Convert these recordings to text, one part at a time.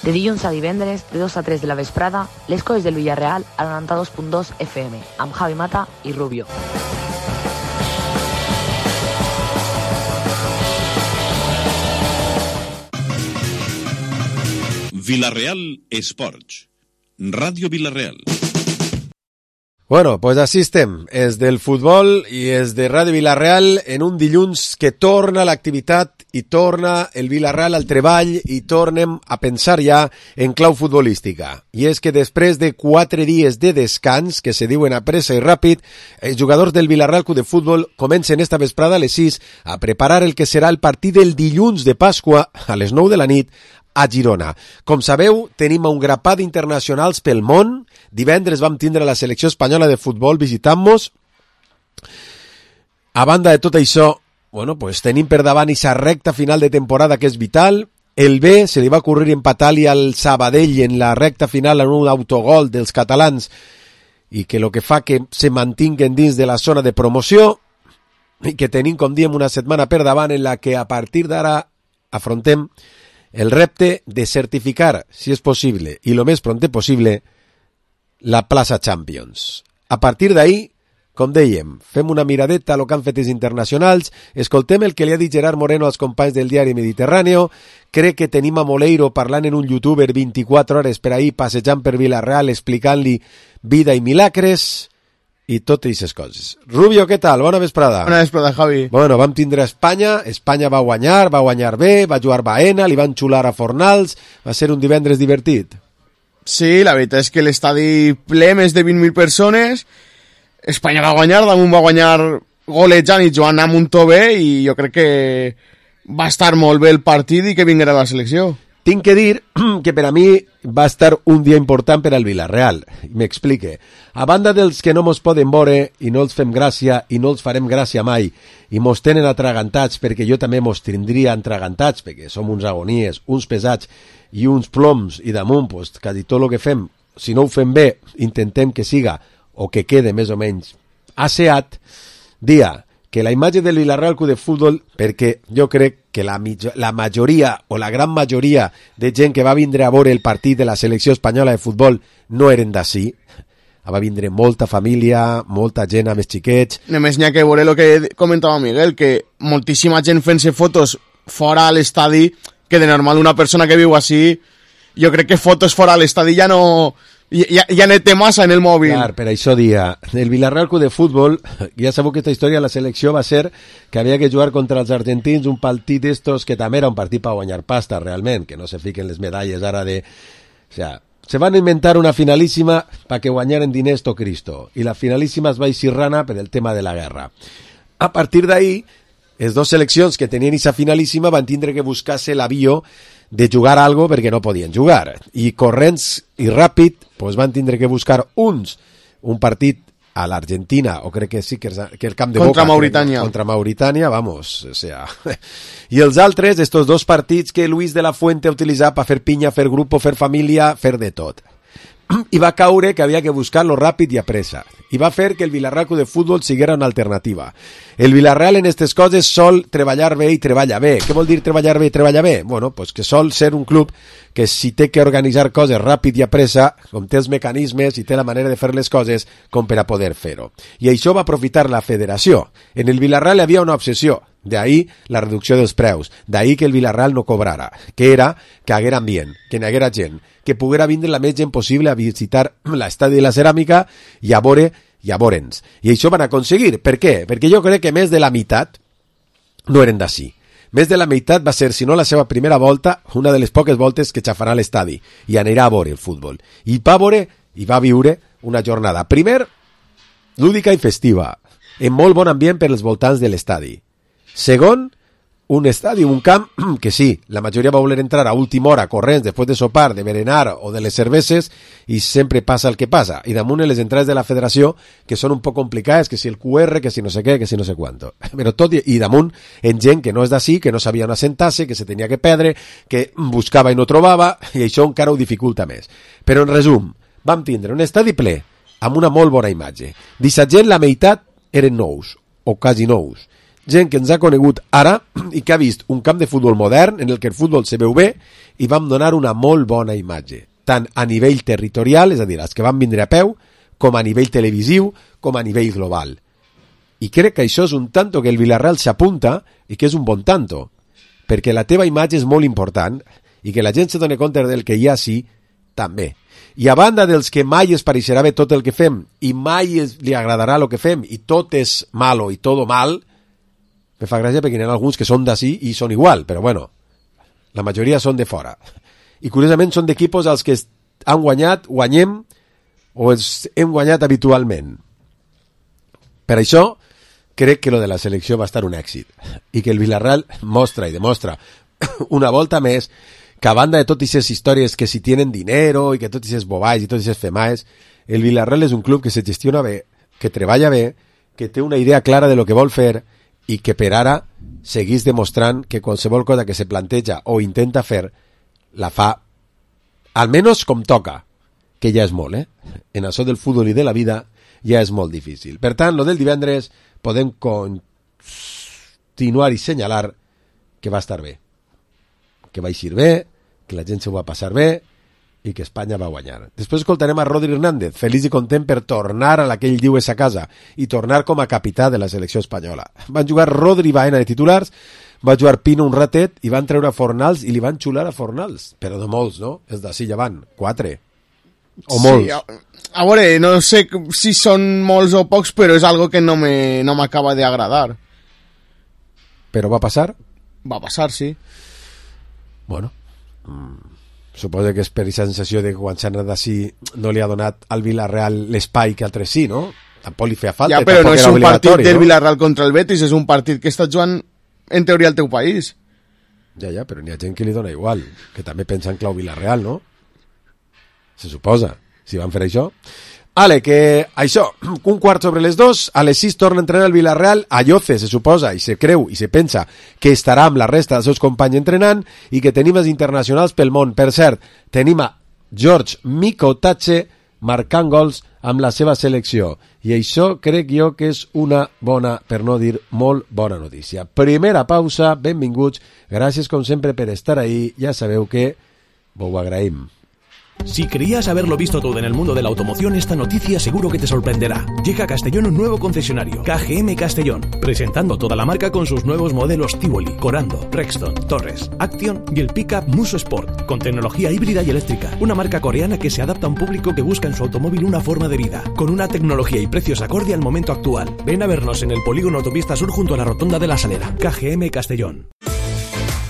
De dilluns a divendres, de 2 a 3 de la vesprada, les coses del Villarreal al 92.2 FM, amb Javi Mata i Rubio. Villarreal Esports, Ràdio Villarreal. Bueno, pues així estem, és del futbol i és de Ràdio Villarreal en un dilluns que torna l'activitat i torna el Villarreal al treball i tornem a pensar ja en clau futbolística. I és que després de 4 dies de descans, que se diuen a pressa i ràpid, els jugadors del Villarreal Club de Futbol comencen esta vesprada a les 6 a preparar el que serà el partit del dilluns de Pasqua a les 9 de la nit a Girona. Com sabeu, tenim un grapat internacionals pel món. Divendres vam tindre la selecció espanyola de futbol visitant-nos. A banda de tot això, bueno, pues tenim per davant aquesta recta final de temporada que és vital. El B se li va ocurrir empatar-li al Sabadell en la recta final en un autogol dels catalans i que lo que fa que se mantinguen dins de la zona de promoció i que tenim, com diem, una setmana per davant en la que a partir d'ara afrontem el repte de certificar, si és possible, i lo més pronte possible, la plaça Champions. A partir d'ahí, com dèiem, fem una miradeta a lo que han fet els internacionals, escoltem el que li ha dit Gerard Moreno als companys del diari Mediterráneo, crec que tenim a Moleiro parlant en un youtuber 24 hores per ahir, passejant per Villarreal, explicant-li vida i milagres, i totes aquestes coses. Rubio, què tal? Bona vesprada. Bona vesprada, Javi. Bueno, vam tindre Espanya va guanyar bé, va jugar Baena, li van xular a Fornals, va ser un divendres divertit. Sí, la veritat és que l'estadi ple, més de 20.000 persones, Espanya va guanyar, damunt va guanyar golejant i jugant amb un to bé, i jo crec que va estar molt bé el partit i que vinguera la selecció. Tinc que dir que per a mi va estar un dia important per al Villarreal. M'explique. A banda dels que no mos poden veure i no els fem gràcia i no els farem gràcia mai i mos tenen atragantats perquè jo també mos tindria atragantats perquè som uns agonies, uns pesats i uns ploms i damunt, pues, quasi tot el que fem, si no ho fem bé, intentem que siga o que quede més o menys asseat, dia que la imatge del Villarreal Club de Futbol, perquè jo crec que la majoria o la gran majoria de gent que va vindre a veure el partit de la selecció espanyola de futbol no eren d'ací, va vindre molta família, molta gent amb els xiquets. Només n'hi ha que veure el que comentava Miguel, que moltíssima gent fent-se fotos fora a l'estadi, que de normal una persona que viu així, jo crec que fotos fora a l'estadi ja no... Ja ne té massa en el mòbil. Clar, per això dia, el Villarreal Club de Futbol, ja sabeu que aquesta història de la selecció va ser que havia que jugar contra els argentins un partit d'estos que també era un partit per guanyar pasta realment, que no se fiquen les medalles ara de... O sea, se van inventar una finalíssima para que guanyaren diners to Cristo, i la finalíssima es va eixir rana per el tema de la guerra. A partir d'ahí, les dues seleccions que tenien aquesta finalíssima van tindre que buscar-se l'avió de jugar algo perquè no podien jugar, i corrents i ràpid pues van tindre que buscar uns un partit a l'Argentina, o crec que sí que el camp de contra Boca, Mauritània. Contra Mauritània, vamos, o sea. I els altres, estos dos partits que Luis de la Fuente ha utilitzat per fer pinya, fer grup, fer família, fer de tot. I va caure que havia que buscar-lo ràpid i a pressa. I va fer que el Villarreal Club de Futbol siguera una alternativa. El Villarreal en aquestes coses sol treballar bé i treballa bé. Què vol dir treballar bé i treballa bé? Bueno, pues que sol ser un club que si té que organitzar coses ràpid i a pressa, com té els mecanismes i té la manera de fer les coses com per a poder fer-ho. I això va aprofitar la federació. En el Villarreal hi havia una obsessió. D'ahí la reducció dels preus, d'ahí que el Villarreal no cobrara, que era que haguera ambient, que n'hi haguera gent, que poguera vindre la més gent possible a visitar l'estadi de la ceràmica i a veure'ns. I això van aconseguir. Per què? Perquè jo crec que més de la meitat no eren d'ací. Més de la meitat va ser, si no la seva primera volta, una de les poques voltes que xafarà l'estadi i anirà a veure el futbol. I va viure una jornada, primer, lúdica i festiva, en molt bon ambient per als voltants de l'estadi. Segon, un estadi, un camp que sí, la majoria va voler entrar a última hora corrents després de sopar, de berenar o de les cerveses i sempre passa el que passa. I damunt les entrades de la federació que són un poc complicades, que si el QR, que si no sé què, que si no sé quanto. Però tot i damunt en gent que no és d'ací, que no sabia on assentar-se, que se tenia que perdre, que buscava i no trobava, i això encara ho dificulta més. Però en resum, vam tindre un estadi ple amb una molt bona imatge. D'aquesta gent la meitat eren nous, o quasi nous. gent que ens ha conegut ara i que ha vist un camp de futbol modern en el que el futbol se veu bé i vam donar una molt bona imatge, tant a nivell territorial, és a dir, els que van vindre a peu, com a nivell televisiu, com a nivell global. I crec que això és un tanto que el Villarreal s'apunta i que és un bon tanto, perquè la teva imatge és molt important i que la gent se doni compte del que hi ha sí, també. I a banda dels que mai es pareixerà bé tot el que fem i mai li agradarà el que fem i tot és malo i tot mal, me fa gràcia perquè hi ha alguns que són d'ací i són igual, però bueno, la majoria són de fora. I curiosament són d'equipos als que han guanyat, guanyem o hem guanyat habitualment. Per això crec que lo de la selecció va estar un èxit i que el Villarreal mostra i demostra una volta més que a banda de totes aquestes històries que si tienen dinero i que totes aquestes boballs i totes aquestes femaes, el Villarreal és un club que se gestiona bé, que treballa bé, que té una idea clara de lo que vol fer i que per ara seguís demostrant que qualsevol cosa que se planteja o intenta fer la fa almenys com toca, que ja és molt, En això del futbol i de la vida ja és molt difícil. Per tant, lo del divendres podem continuar i senyalar que va estar bé, que va eixir bé, que la gent se ho va passar bé i que Espanya va guanyar. Després escoltarem a Rodri Hernández, feliç i content per tornar a la que ell diu és a casa i tornar com a capità de la selecció espanyola. Van jugar Rodri i Baena de titulars, va jugar Pino un ratet i van treure a Fornals i li van xular a Fornals, però de molts, no? És d'ací ja van, 4 o molts. Sí, a veure, no sé si són molts o pocs, però és algo que no m'acaba d'agradar. Però va passar? Va passar, sí. Bueno, suposo que és per aquesta sensació de que quan s'ha anat d'ací no li ha donat al Villarreal l'espai que altres sí, no? Tampoc li feia falta. Ja, però no és un partit del Villarreal contra el Betis, és un partit que està jugant en teoria al teu país. Ja, però n'hi ha gent que li dona igual, que també pensa en clau Villarreal, no? Se suposa, si van fer això. Ale, que això, 2:15, a les 6 torna a entrenar el Villarreal a Lloce, se suposa, i se creu, i se pensa que estarà amb la resta dels seus companys entrenant i que tenim els internacionals pel món. Per cert, tenim a George Mikotache marcant gols amb la seva selecció. I això crec jo que és una bona, per no dir molt bona notícia. Primera pausa, benvinguts, gràcies com sempre per estar ahí, ja sabeu que ho agraïm. Si creías haberlo visto todo en el mundo de la automoción, esta noticia seguro que te sorprenderá. Llega a Castellón un nuevo concesionario, KGM Castellón, presentando toda la marca con sus nuevos modelos Tivoli, Corando, Rexton, Torres, Action y el pickup Muso Sport, con tecnología híbrida y eléctrica. Una marca coreana que se adapta a un público que busca en su automóvil una forma de vida, con una tecnología y precios acorde al momento actual. Ven a vernos en el polígono Autopista Sur junto a la Rotonda de la Salera. KGM Castellón.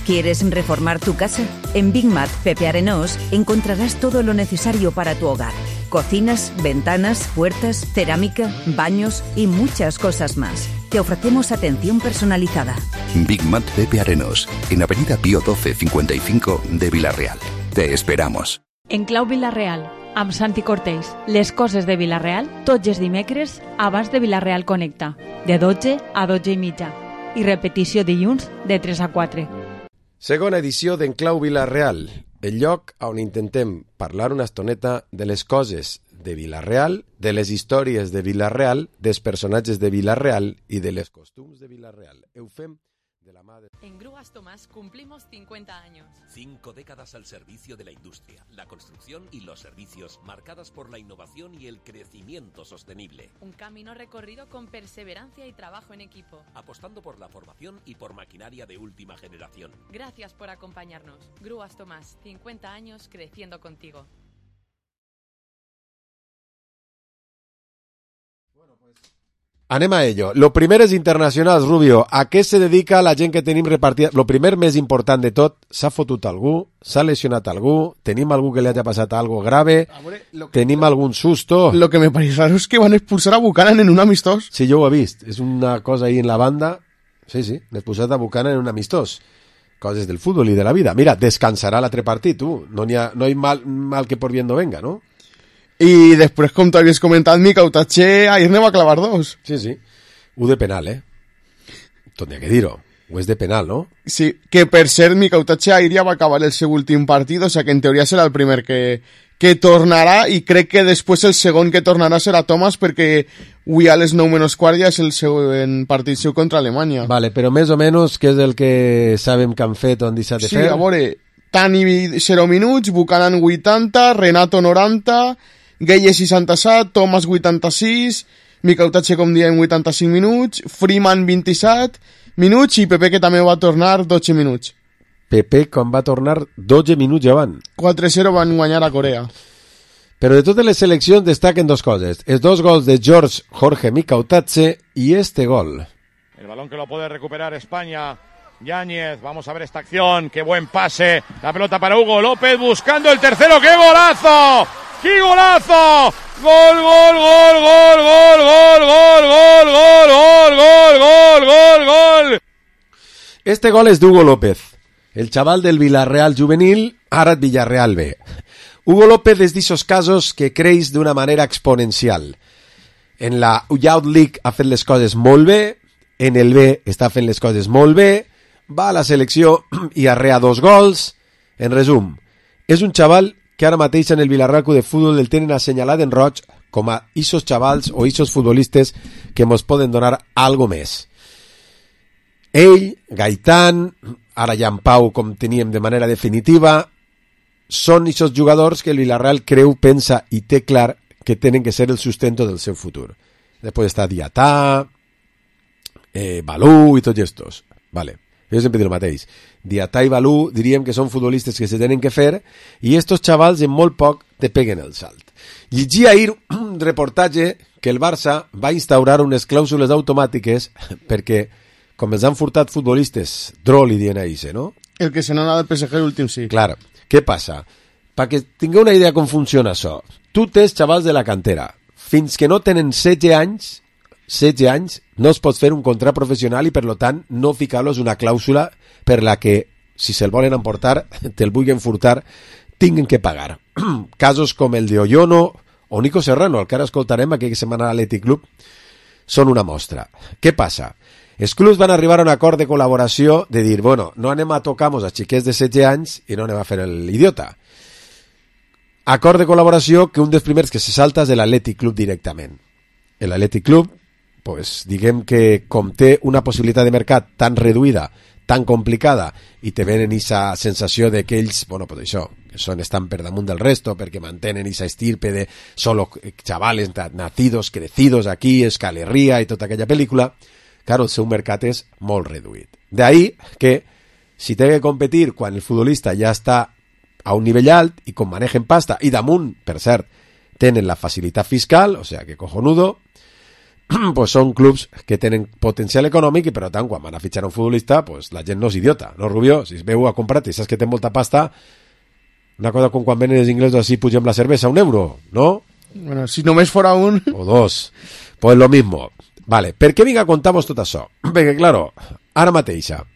¿Quieres reformar tu casa? En Big Mat Pepe Arenós encontrarás todo lo necesario para tu hogar. Cocinas, ventanas, puertas, cerámica, baños y muchas cosas más. Te ofrecemos atención personalizada. Big Mat Pepe Arenós, en Avenida Pío 12 55 de Villarreal. Te esperamos. En Clau Villarreal, amb Santi Cortés, les coses de Villarreal, tots els dimecres abans de Villarreal Connecta, de 12 a 12 i mitja. I repetició dilluns de 3 a 4. Segona edició d'Enclau Villarreal, el lloc on intentem parlar una estoneta de les coses de Villarreal, de les històries de Villarreal, dels personatges de Villarreal i de les costums de Villarreal. Ho fem de la mà de... En Grúas Tomás cumplimos 50 años. 5 décadas al servicio de la industria, la construcción y los servicios, marcadas por la innovación y el crecimiento sostenible. Un camino recorrido con perseverancia y trabajo en equipo. Apostando por la formación y por maquinaria de última generación. Gracias por acompañarnos. Grúas Tomás, 50 años creciendo contigo. Anem a ello. Lo primer és internacionals, Rubio. A què se dedica la gent que tenim repartida? Lo primer més important de tot, s'ha fotut algú? S'ha lesionat algú? Tenim algú que li hagi passat algo grave? Tenim algun susto? Lo que me parece raro es que van a expulsar a Buchanan en un amistós. Sí, jo ho he vist. És una cosa ahí en la banda. Sí, n'he expulsat a Buchanan en un amistós. Coses del futbol i de la vida. Mira, descansarà l'altre partit, tu. No hi ha mal que por bien no venga, no? I després, com t'havies comentat, Mikotache ahir ne va clavar 2. Sí. Ho de penal, Tot n'hi ha que dir-ho. Ho és de penal, no? Sí, que per cert, Mikotache ahir ja va acabar el seu últim partit, o sea que en teoria serà el primer que que tornarà, i crec que després el segon que tornarà serà Thomas, perquè avui a les 9:15 ja és el següent partit seu contra Alemanya. Vale, però més o menys què és el que sabem que han fet o han deixat de fer? Sí, a veure, Tani 0 minuts, Buchanan 80, Renato 90, Gueye 67, Thomas 86, Mikautacche, com diem, 85 minuts, Freeman 27 minuts i Pepe, que també va tornar 12 minuts. Pepe, quan va tornar 12 minuts ja van. 4-0 van guanyar a Corea. Però de totes les seleccions destaquen dos coses. Els dos gols de Jorge Mikautacche y este gol. El balón que lo puede recuperar España. Yáñez, vamos a ver esta acción, qué buen pase, la pelota para Hugo López buscando el tercero, ¡qué golazo! ¡Qué golazo! ¡Gol, gol, gol, gol, gol, gol, gol, gol, gol, gol, gol, gol, gol! Este gol és d'Hugo López, el xaval del Villarreal juvenil, ara et Villarreal B. Hugo López és d'ixos casos que creix d'una manera exponencial. En la Youth League ha fet les coses molt bé, en el B està fent les coses molt bé, va a la selecció i arrea 2 gols. En resum, és un xaval que ara mateix en el Villarreal Club de Futbol el tenen assenyalat en roig com a ixos xavals o ixos futbolistes que mos poden donar algo més. Ell, Gaitán, ara ja en Pau, com teníem de manera definitiva, són ixos jugadors que el Villarreal creu, pensa i té clar que tenen que ser el sustento del seu futur. Després està Diatà, Balú i tots estos. Vale. Jo sempre dic el mateix. Diatà i Balú diríem que són futbolistes que se tenen que fer i estos xavals en molt poc te peguen el salt. Llegia ahir un reportatge que el Barça va instaurar unes clàusules automàtiques perquè, com els han furtat futbolistes, Droll i dient a Ise, no? El que se n'ha del PSG l'últim, sí. Clar. Què passa? Perquè tingueu una idea com funciona això. Tu tens xavals de la cantera. Fins que no tenen 16 anys no es pot fer un contrat professional i per lo tant no ficar-los una clàusula per la que si se'l volen emportar, te'l vulguin furtar, tinguen que pagar. Casos com el de Oyono o Nico Serrano, el que ara escoltarem aquella setmana a l'Athletic Club, són una mostra. Què passa? Els clubs van arribar a un acord de col·laboració de dir, bueno, no anem a tocar-nos a xiquets de 16 anys i no anem a fer l'idiota. Acord de col·laboració que un dels primers que se salta és de l'Athletic Club directament. L'Athletic Club, pues, diguem que com té una possibilitat de mercat tan reduïda, tan complicada, i te venen aquesta sensació de que ells, bueno, pues això, que estan per damunt del resto, perquè mantenen aquesta estirpe de solo chavales nacidos, crecidos aquí, escalerria i tota aquella pel·lícula, claro, el seu mercat és molt reduït. D'ahí que, si té que competir quan el futbolista ja està a un nivell alt i com manejen pasta, i damunt, per cert, tenen la facilitat fiscal, o sea que cojonudo, pues són clubs que tenen potencial econòmic i per tant quan van a fitxar un futbolista pues la gent no és idiota, no Rubió? Si es veu a comprar i saps que té molta pasta, una cosa com quan venen els inglesos així pugem la cervesa a €1, ¿no? Bueno, si només fora un... O 2, pues lo mismo. Vale, per què vinc a contar-vos tot això? Perquè, claro, ara mateixa,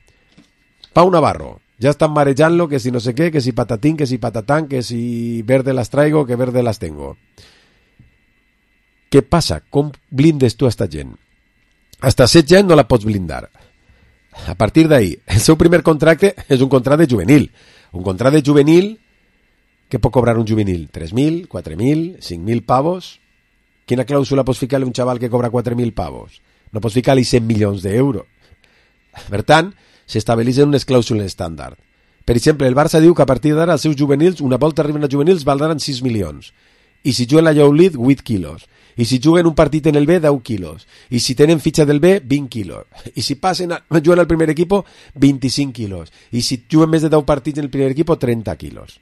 Pau Navarro, ja estan marejant-lo que si no sé què, que si patatín, que si patatán, que si verde las traigo, que verde las tengo. Què passa? Com blindes tu a esta gent? Hasta 16 anys no la pots blindar. A partir d'ahí, el seu primer contracte és un contracte juvenil. Un contracte juvenil, què pot cobrar un juvenil? 3.000, 4.000, 5.000 pavos? Quina clàusula pots ficar-li a un xaval que cobra 4.000 pavos? No pots ficar-li 100 milions d'euros. Per tant, s'estableixen unes clàusules estàndard. Per exemple, el Barça diu que a partir d'ara els seus juvenils, una volta arriben als juvenils, valdran 6 milions. I si juguen la Youth League, 8 quilos. I si juguen un partit en el B, 10 quilos. I si tenen fitxa del B, 20 quilos. I si passen juguen al primer equip, 25 quilos. I si juguen més de 10 partits en el primer equip, 30 quilos.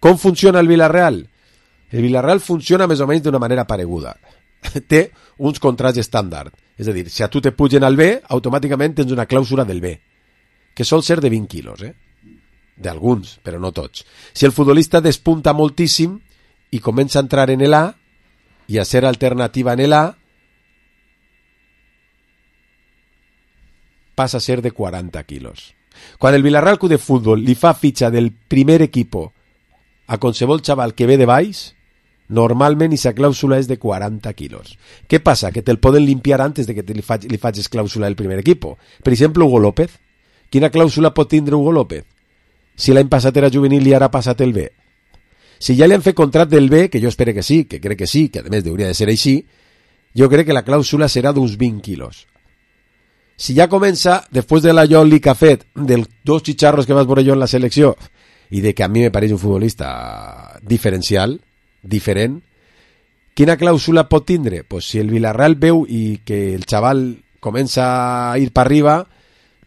Com funciona el Villarreal? El Villarreal funciona més o menys d'una manera pareguda. Té uns contrats estàndard. És a dir, si a tu te pugen al B, automàticament tens una clàusula del B, que sol ser de 20 quilos, d'alguns, però no tots. Si el futbolista despunta moltíssim i comença a entrar en l'A i a ser alternativa en l'A, passa a ser de 40 quilos. Quan el Villarreal Club de Futbol li fa fitxa del primer equip a qualsevol xaval que ve de baix, normalment aquesta clàusula és de 40 quilos. Què passa? Que te'l poden limpiar antes de que li facis clàusula del primer equip. Per exemple, Hugo López. Quina clàusula pot tindre Hugo López? Si l'any passat era juvenil i ara ha passat el B. Si ja li han fet contrat del B, que jo espero que sí, que crec que sí, que a més hauria de ser així, jo crec que la clàusula serà d'uns 20 quilos. Si ja comença, després de la Jolly que ha fet, dels 2 xicharros que vas veure jo en la selecció, i de que a mi me pareix un futbolista diferencial, diferent, quina clàusula pot tindre? Pues si el Villarreal veu i que el xaval comença a ir per arriba,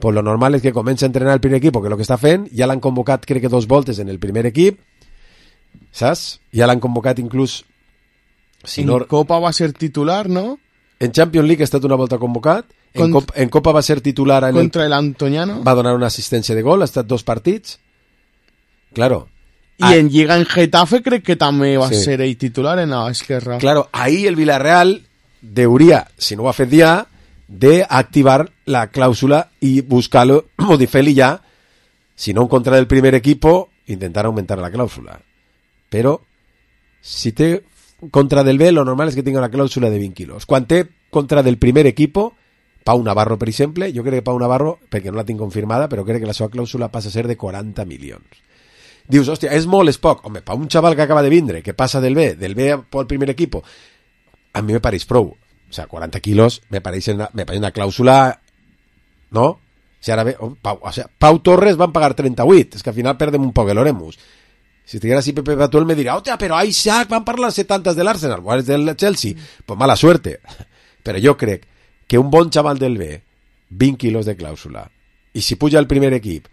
pues lo normal és que comença a entrenar el primer equip, que és el que està fent, ja l'han convocat crec que 2 voltes en el primer equip, saps? Ja l'han convocat inclús... Si no... En Copa va ser titular, no? En Champions League ha estat una volta convocat, en Copa va ser titular contra el Antoniano, va donar una assistència de gol, ha estat 2 partits, claro. I en Lliga en Getafe crec que també va ser ell titular en l'esquerra. Claro, ahí el Villarreal deuria, si no ho ha fet ja, de activar la clàusula i buscar-lo, o de fer-li ja, si no en contra del primer equipo, intentar aumentar la clàusula. Però, si té contra del B, lo normal és que tinga una clàusula de 20 quilos. Quan té contra del primer equipo, Pau Navarro, per exemple, jo crec que Pau Navarro, perquè no la tinc confirmada, però crec que la seva clàusula passa a ser de 40 milions. Dius, hòstia, és molt, és poc. Home, per un xaval que acaba de vindre, que passa del B al primer equipo, a mi me pareix prou. O sea, 40 quilos me parece una clàusula, ¿no? Si ara ve, Pau Torres van pagar 38, és que al final perdem un poc l'Oremus. Si estiguera así Pepe Batuel me dirà, hòstia, però a Isaac van parlar 70 de l'Arsenal, o del Chelsea, pues mala suerte. Però jo crec que un bon xaval del B, 20 quilos de clàusula, i si puja al primer equip,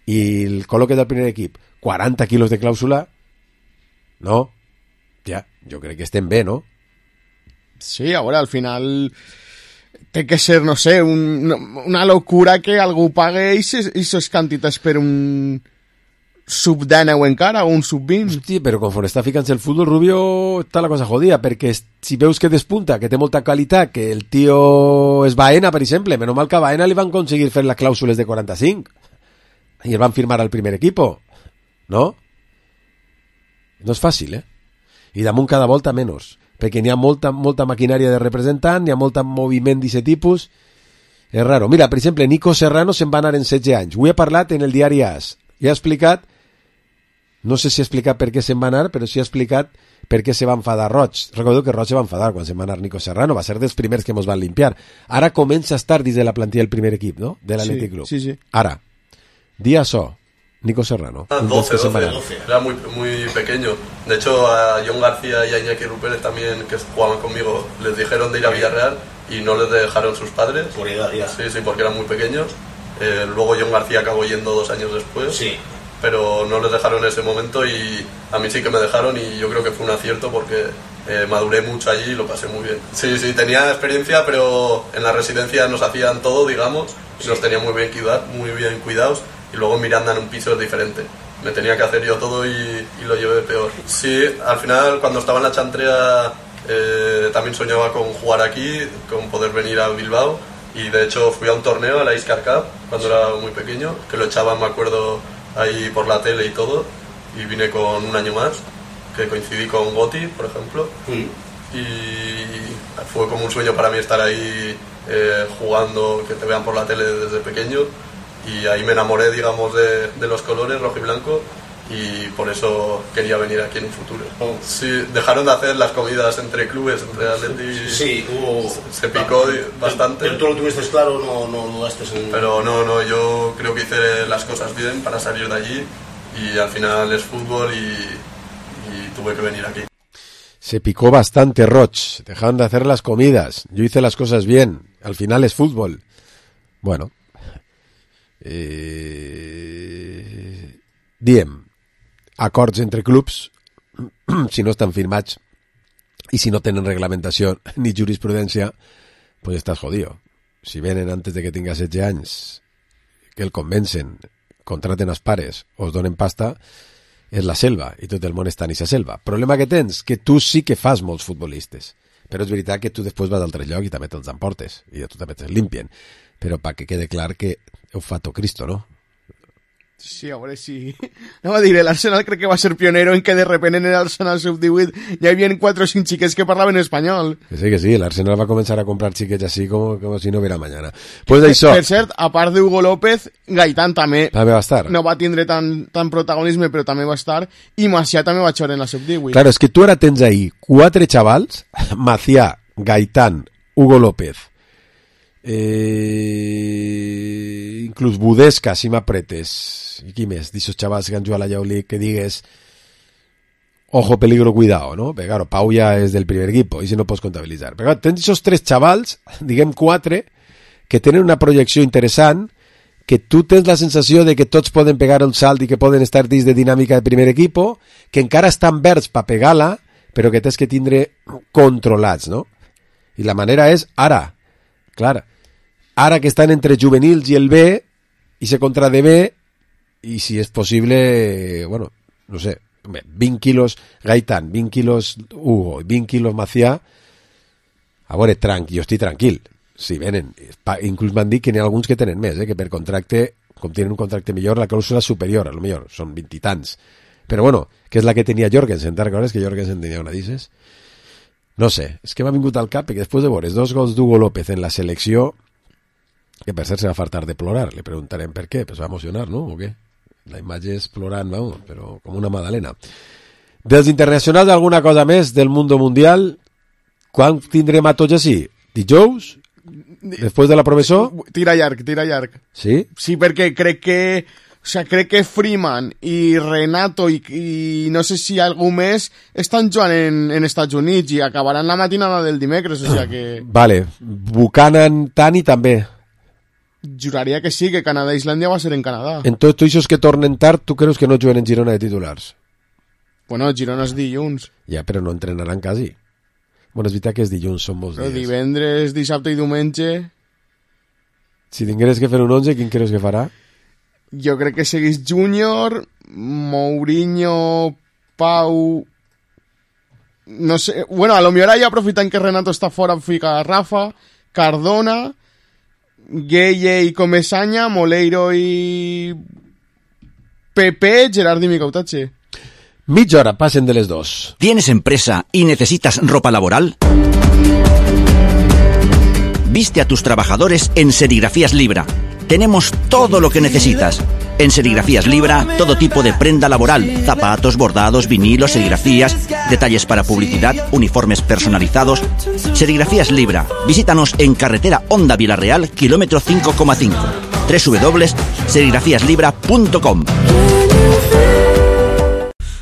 i el col·loques del primer equip, 40 quilos de clàusula, no? Ja, jo crec que estem bé, no? Sí, ahora al final té que ser, no sé, una locura que algú pague aquestes quantitats per un sub-19 encara o un sub-20. Hosti, però conforme està ficant-se el futbol, Rubio, està la cosa jodida, perquè si veus que despunta, que té molta qualitat, que el tio és Baena, per exemple, menys mal que a Baena li van aconseguir fer les clàusules de 45 i el van firmar al primer equipo, no? No és fàcil, I damunt cada volta menys, perquè n'hi ha molta maquinària de representant, n'hi ha molt moviment d'aquest tipus, és raro. Mira, per exemple, Nico Serrano se'n va anar en 16 anys, ho he parlat en el diari AS, i ha explicat, no sé si ha explicat per què se'n va anar, però sí ha explicat per què se va enfadar Roig. Recordo que Roig se va enfadar quan se'n va anar Nico Serrano, va ser dels primers que mos van limpiar. Ara comença a estar dins de la plantilla del primer equip, ¿no? De l'Athletic Club. Sí. Ara, dia so, Nico Serrano. 12, era muy pequeño. De hecho, a John García y a Iñaki Rupert también, que jugaban conmigo, les dijeron de ir a Villarreal y no les dejaron sus padres. Por edad, ya. Sí, porque eran muy pequeños. Luego John García acabó yendo 2 años después. Sí. Pero no les dejaron en ese momento y a mí sí que me dejaron y yo creo que fue un acierto porque maduré mucho allí y lo pasé muy bien. Sí, tenía experiencia, pero en la residencia nos hacían todo, digamos, y nos tenían muy bien cuidados. Y luego en Miranda en un piso es diferente. Me tenía que hacer yo todo y lo llevé peor. Sí, al final cuando estaba en la Chantrea también soñaba con jugar aquí, con poder venir a Bilbao. Y de hecho fui a un torneo, a la Iscar Cup, cuando era muy pequeño, que lo echaban, me acuerdo, ahí por la tele y todo. Y vine con un año más, que coincidí con Gotti, por ejemplo. Y fue como un sueño para mí estar ahí jugando, que te vean por la tele desde pequeño. Y ahí me enamoré, digamos, de los colores rojo y blanco y por eso quería venir aquí en un futuro. Sí, dejaron de hacer las comidas entre clubes, entre Atleti. Sí, hubo... Se picó bastante. Pero tú lo tuviste claro, no dudaste en... Pero no, yo creo que hice las cosas bien para salir de allí y al final es fútbol y tuve que venir aquí. Se picó bastante Roch, dejaron de hacer las comidas, yo hice las cosas bien, al final es fútbol. Bueno... diem, acords entre clubs, si no estan firmats i si no tenen reglamentació ni jurisprudència, pues estàs jodido. Si venen antes de que tinga 16 anys, que el convencen, contraten els pares o es donen pasta, és la selva i tot el món està en aquesta selva. Problema que tens, que tu sí que fas molts futbolistes, però és veritat que tu després vas a altre lloc i també te'ls emportes i tu també te'ls limpien, però perquè quede clar que ho fa tot Cristo, no? Sí, a veure si... No va dir, l'Arsenal crec que va ser pionero en que de repente en l'Arsenal sub-18 ja hi havia 4 o 5 xiquets que parlaven espanyol. Que sí, l'Arsenal va començar a comprar xiquets així com si no hubiera mañana. Pues això... Per cert, a part d'Hugo López, Gaitán també va estar. No va tindre tant protagonisme, però també va estar, i Macià també va jugar en la sub-18. Claro, és que tu ara tens ahí 4 xavals, Macià, Gaitán, Hugo López, inclús Budesca, si m'apretes, i qui més d'aixòs xavals que han jugat a la Lleuli que digues ojo, peligro, cuidado, no? Perquè claro, Pau ja és del primer equipo i si no pots comptabilitzar, però claro, tens aquests 3 xavals, diguem 4 que tenen una projecció interessant, que tu tens la sensació de que tots poden pegar el salt i que poden estar dins de dinàmica de primer equipo, que encara estan verds per pegar-la, però que tens que tindre controlats, no? I la manera és ara, clar, ara que estan entre juvenils i el B, i se contra de B, i si és possible, bueno, no sé, 20 quilos Gaitán, 20 quilos Hugo, 20 quilos Macià, a veure, jo estic tranquil, si venen, inclús m'han dit que n'hi ha alguns que tenen més, que per contracte, com tenen un contracte millor, la clàusula superior, a lo millor, són 20 i tants, però bueno, que és la que tenia Jorgensen, te'n recordes que Jorgensen tenia una d'ixes? No sé, és que m'ha vingut al cap que després de veure 2 gols d'Hugo López en la selecció, que per cert se va fartar de plorar, le preguntarem per què, pues va emocionar, no? O què? La imatge és plorant, vamos, però com una magdalena. Dels internacionals, alguna cosa més del mundo mundial? Quan tindrem a tots així? Dijous? Després de la professor? Tira llarg. Sí? Sí, perquè crec que Freeman i Renato i no sé si algú més estan jugant en Estats Units i acabaran la matinada del dimecres, o sea que... Vale, Buchanan, Tani també. Juraria que sí, que Canadà i Islàndia va ser en Canadà. Entonces, tu aquests que tornen tard, tu creus que no juguen en Girona de titulars? Bueno, Girona és dilluns. Ja, però no entrenaran quasi. Bueno, és veritat que és dilluns, són molts dies. Divendres, dissabte i diumenge... Si tingueres que fer un 11, quin creus que farà? Jo crec que seguís Júnior, Mourinho, Pau... No sé... Bueno, a lo millor ja aprofitant que Renato està fora, fica Rafa, Cardona... Gueye y Comesaña, Moleiro y Pepe, Gerard y Micautache. Mitja hora, pasen de les 2. ¿Tienes empresa y necesitas ropa laboral? Viste a tus trabajadores en Serigrafías Libra. Tenemos todo lo que necesitas. En Serigrafías Libra, todo tipo de prenda laboral, zapatos, bordados, vinilos, serigrafías, detalles para publicidad, uniformes personalizados. Serigrafías Libra. Visítanos en carretera Honda Vilarreal, kilómetro 5,5. www.serigrafíaslibra.com.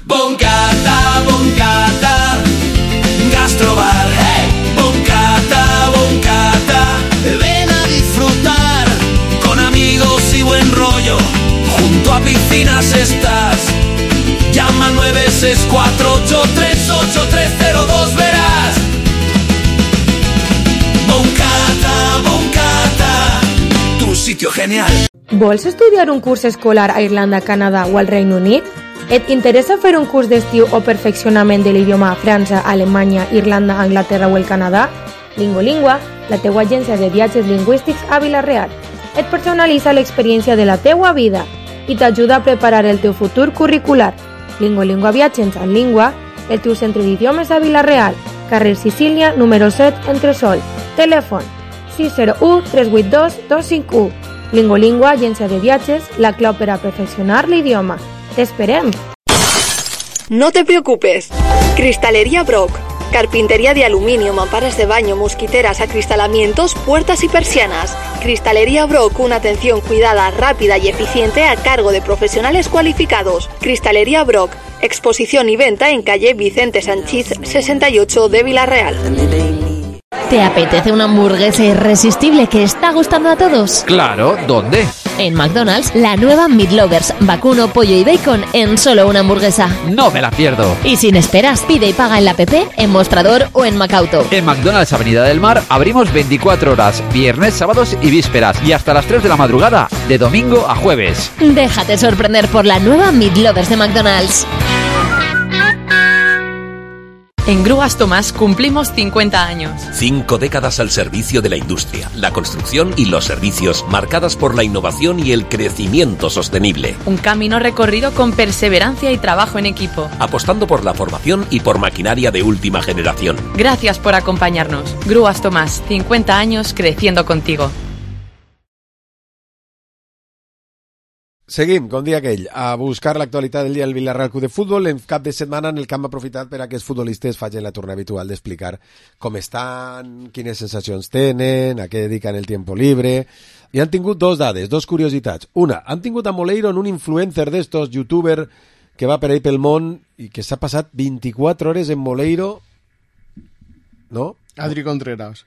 Boncata, Boncata, Gastrobar, hey. Boncata, Boncata, ven a disfrutar con amigos y buen rollo. Junto a piscinas estás. Llama al 964838302, verás. Boncata, Boncata, tu sitio genial. Vols estudiar un curs escolar a Irlanda, Canadà o al Regne Unit? Et interessa fer un curs d'estiu o perfeccionament de l'idioma a França, Alemanya, Irlanda, Anglaterra o el Canadà? Lingolingua, la teua agència de viatges lingüístics a Vila-real. Et personalitza l'experiència de la teua vida i t'ajuda a preparar el teu futur curricular. Lingolingua Viatges en Língua, el teu centre d'idiomes a Vila-real, carrer Sicília, número 7, Entresol. Telèfon 601-382-251. Lingolingua, agència de viatges, la clau per a perfeccionar l'idioma. ¡T'esperem! No te preocupes. Cristalería Brock. Carpintería de aluminio, mamparas de baño, mosquiteras, acristalamientos, puertas y persianas. Cristalería Brock, una atención cuidada, rápida y eficiente a cargo de profesionales cualificados. Cristalería Brock. Exposición y venta en calle Vicente Sanchís 68 de Vila-real. ¿Te apetece una hamburguesa irresistible que está gustando a todos? Claro, ¿dónde? En McDonald's, la nueva Meat Lovers, vacuno, pollo y bacon en solo una hamburguesa. No me la pierdo. Y sin esperas, pide y paga en la app, en Mostrador o en Macauto. En McDonald's Avenida del Mar abrimos 24 horas, viernes, sábados y vísperas, y hasta las 3 de la madrugada, de domingo a jueves. Déjate sorprender por la nueva Meat Lovers de McDonald's. En Grúas Tomás cumplimos 50 años. 5 décadas al servicio de la industria, la construcción y los servicios, marcadas por la innovación y el crecimiento sostenible. Un camino recorrido con perseverancia y trabajo en equipo. Apostando por la formación y por maquinaria de última generación. Gracias por acompañarnos. Grúas Tomás, 50 años creciendo contigo. Seguim, com dia aquell, a buscar l'actualitat del dia del Villarreal Club de Futbol. En cap de setmana en el camp ha aprofitat per a que els futbolistes facin la torna habitual d'explicar com estan, quines sensacions tenen, a què dediquen el tiempo libre. I han tingut dos dades, dos curiositats. Una, han tingut a Moleiro en un influencer d'estos, youtuber, que va per ahí pel món i que s'ha passat 24 hores en Moleiro, no? Adri Contreras.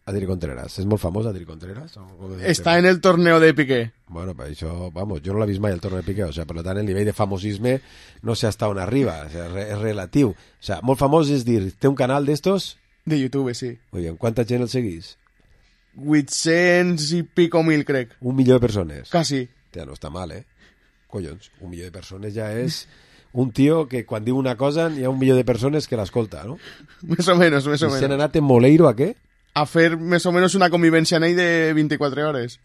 Adri Contreras. ¿Es muy famoso Adri Contreras? Está en el torneo de Piqué. Bueno, pues eso, vamos, yo no l'he vist mai el torneo de Piqué, o sea, per tant el nivell de famosisme no sé hasta on arriba, o sea, és relatiu. O sea, molt famós és dir, té un canal d'estos? De YouTube, sí. Muy bien, ¿cuánta gent el seguís? 800 i pico mil, crec. 1 milió de persones? Casi. Ja no està mal, Collons, 1 milió de persones ja és un tio que quan diu una cosa hi ha 1 milió de persones que l'escolta, no? Més o menos, més o menos. I s'han anat en Moleiro a què? A fer més o menys una convivència en ell de 24 hores.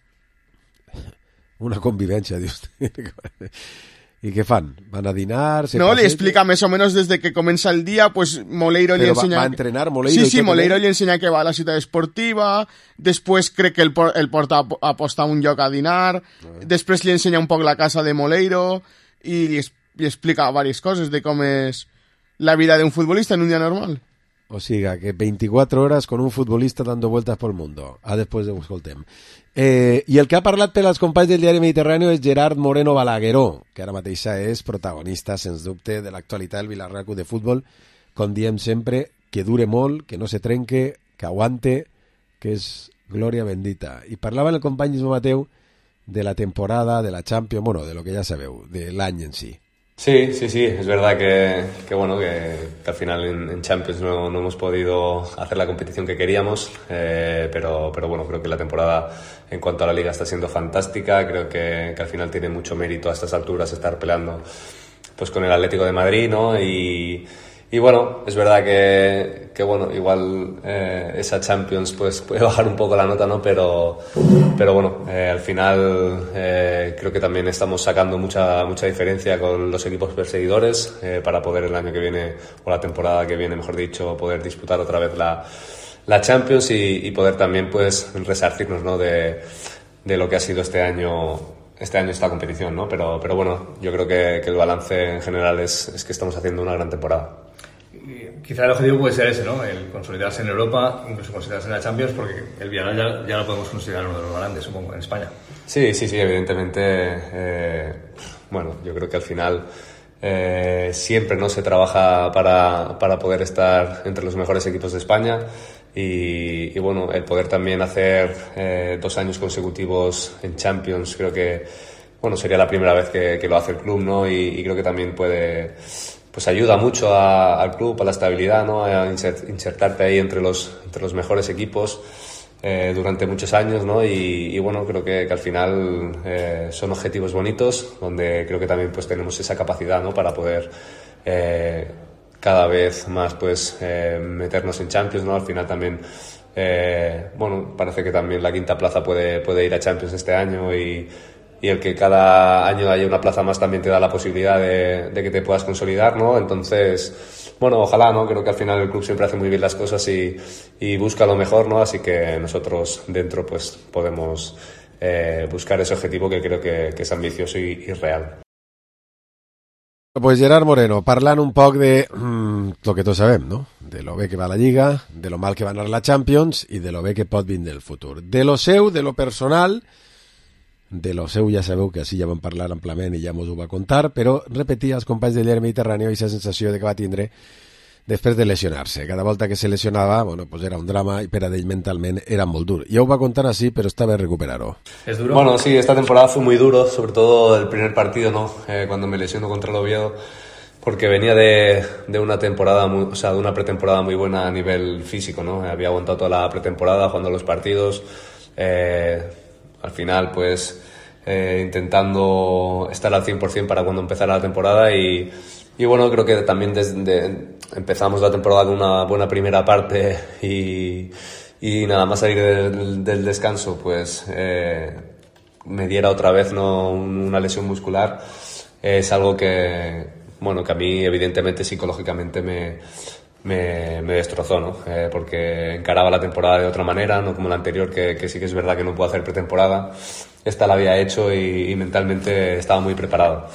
Una convivència, dius. I què fan? Van a dinar? No, li explica més o menys des de que comença el dia, pues Moleiro li ensenya... va a entrenar Moleiro? Sí, Moleiro li ensenya que va a la ciutat esportiva, després crec que el porta a postar un lloc a dinar, després li ensenya un poc la casa de Moleiro i li explica diverses coses de com és la vida d'un futbolista en un dia normal. O siga, que 24 horas con un futbolista dando vueltas por el mundo. Después de escoltem. I el que ha parlat per als companys del diari Mediterrani és Gerard Moreno Balagueró, que ara mateixa és protagonista, sens dubte, de l'actualitat del Villarreal Club de Futbol. Com diem sempre, que dure molt, que no se trenque, que aguante, que és glòria bendita. I parlava el company Ismo Mateu de la temporada, de la Champions, bueno, de lo que ja sabeu, de l'any en si. Sí, es verdad que bueno, que al final en Champions no hemos podido hacer la competición que queríamos, pero bueno, creo que la temporada en cuanto a la Liga está siendo fantástica, creo que al final tiene mucho mérito a estas alturas estar peleando pues con el Atlético de Madrid, ¿no? Y bueno, es verdad que bueno, igual esa Champions pues puede bajar un poco la nota, ¿no? Pero bueno, al final creo que también estamos sacando mucha diferencia con los equipos perseguidores para poder el año que viene, o la temporada que viene, mejor dicho, poder disputar otra vez la Champions y poder también pues resarcirnos, ¿no? de lo que ha sido este año esta competición, ¿no? Pero bueno, yo creo que el balance en general es que estamos haciendo una gran temporada. Quizá el objetivo puede ser ese, ¿no? El consolidarse en Europa, incluso consolidarse en la Champions, porque el Villarreal ya lo podemos considerar uno de los grandes, supongo, en España. Sí, evidentemente. Bueno, yo creo que al final siempre no se trabaja para poder estar entre los mejores equipos de España y bueno, el poder también hacer 2 años consecutivos en Champions, creo que bueno, sería la primera vez que lo hace el club, ¿no? Y creo que también pues ayuda mucho al club, a la estabilidad, ¿no? A insertarte ahí entre los mejores equipos durante muchos años, ¿no? Y bueno, creo que al final son objetivos bonitos, donde creo que también pues tenemos esa capacidad, ¿no? Para poder cada vez más pues meternos en Champions, ¿no? Al final también bueno, parece que también la quinta plaza puede ir a Champions este año y el que cada año haya una plaza más también te da la posibilidad de que te puedas consolidar, ¿no? Entonces, bueno, ojalá, ¿no? Creo que al final el club siempre hace muy bien las cosas y busca lo mejor, ¿no? Así que nosotros dentro pues podemos buscar ese objetivo que creo que es ambicioso y real. Pues Gerard Moreno, parlant un poc de lo que tots sabem, no? De lo bé que va la Lliga, de lo mal que va anar la Champions i de lo bé que pot vindre el futur. De lo seu, de lo personal... De lo seu ja sabeu que així ja vam parlar amplament i ja mos ho va contar, però repetia als companys del diari Mediterrani aquesta sensació de que va tindre després de lesionar-se. Cada volta que se lesionava, bueno, pues era un drama i per a ell mentalment era molt dur. Ja ho va contar així, però està bé recuperar-ho. ¿Es duro? Bueno, sí, esta temporada fue muy duro, sobre todo el primer partido, ¿no? Cuando me lesiono contra el Oviedo, porque venía de una temporada de una pretemporada muy buena a nivel físico, ¿no? Había aguantado toda la pretemporada jugando los partidos. Al final, pues, intentando estar al 100% para cuando empezara la temporada y bueno, creo que también empezamos la temporada con una buena primera parte y nada más salir del descanso, pues me diera otra vez una lesión muscular, es algo que a mí evidentemente psicológicamente me destrozó, ¿no? Porque encaraba la temporada de otra manera, no como la anterior, que sí que es verdad que no puedo hacer pretemporada. Esta la había hecho y mentalmente estaba muy preparado.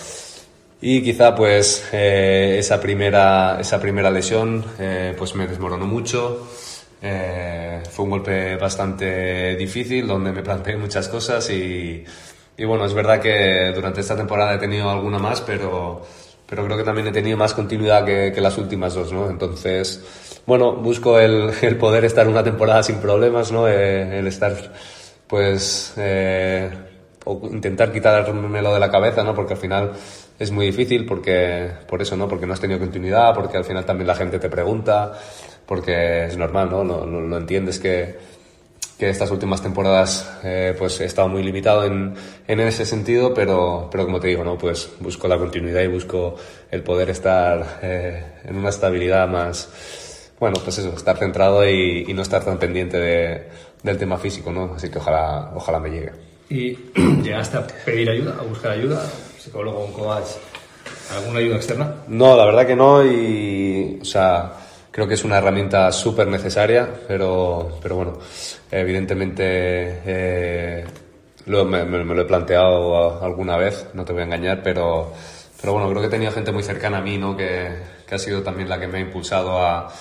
Y quizá pues esa primera lesión pues me desmoronó mucho. Fue un golpe bastante difícil donde me planteé muchas cosas y bueno, es verdad que durante esta temporada he tenido alguna más, pero creo que también he tenido más continuidad que las últimas dos, ¿no? Entonces, bueno, busco el poder estar una temporada sin problemas, ¿no? El estar, pues, o intentar quitármelo de la cabeza, ¿no? Porque al final es muy difícil, por eso, ¿no? Porque no has tenido continuidad, porque al final también la gente te pregunta, porque es normal, ¿no? No entiendes que estas últimas temporadas pues he estado muy limitado en ese sentido, pero como te digo, ¿no? Pues busco la continuidad y busco el poder estar en una estabilidad más, bueno, pues eso, estar centrado y no estar tan pendiente del tema físico, ¿no? Así que ojalá me llegue. ¿Y llegaste a pedir ayuda, a buscar ayuda? ¿Psicólogo, un coach, alguna ayuda externa? No, la verdad que no, o sea, creo que es una herramienta súper necesaria, pero bueno, evidentemente me lo he planteado alguna vez, no te voy a engañar, pero bueno, creo que he tenido gente muy cercana a mí, ¿no? Que ha sido también la que me ha impulsado a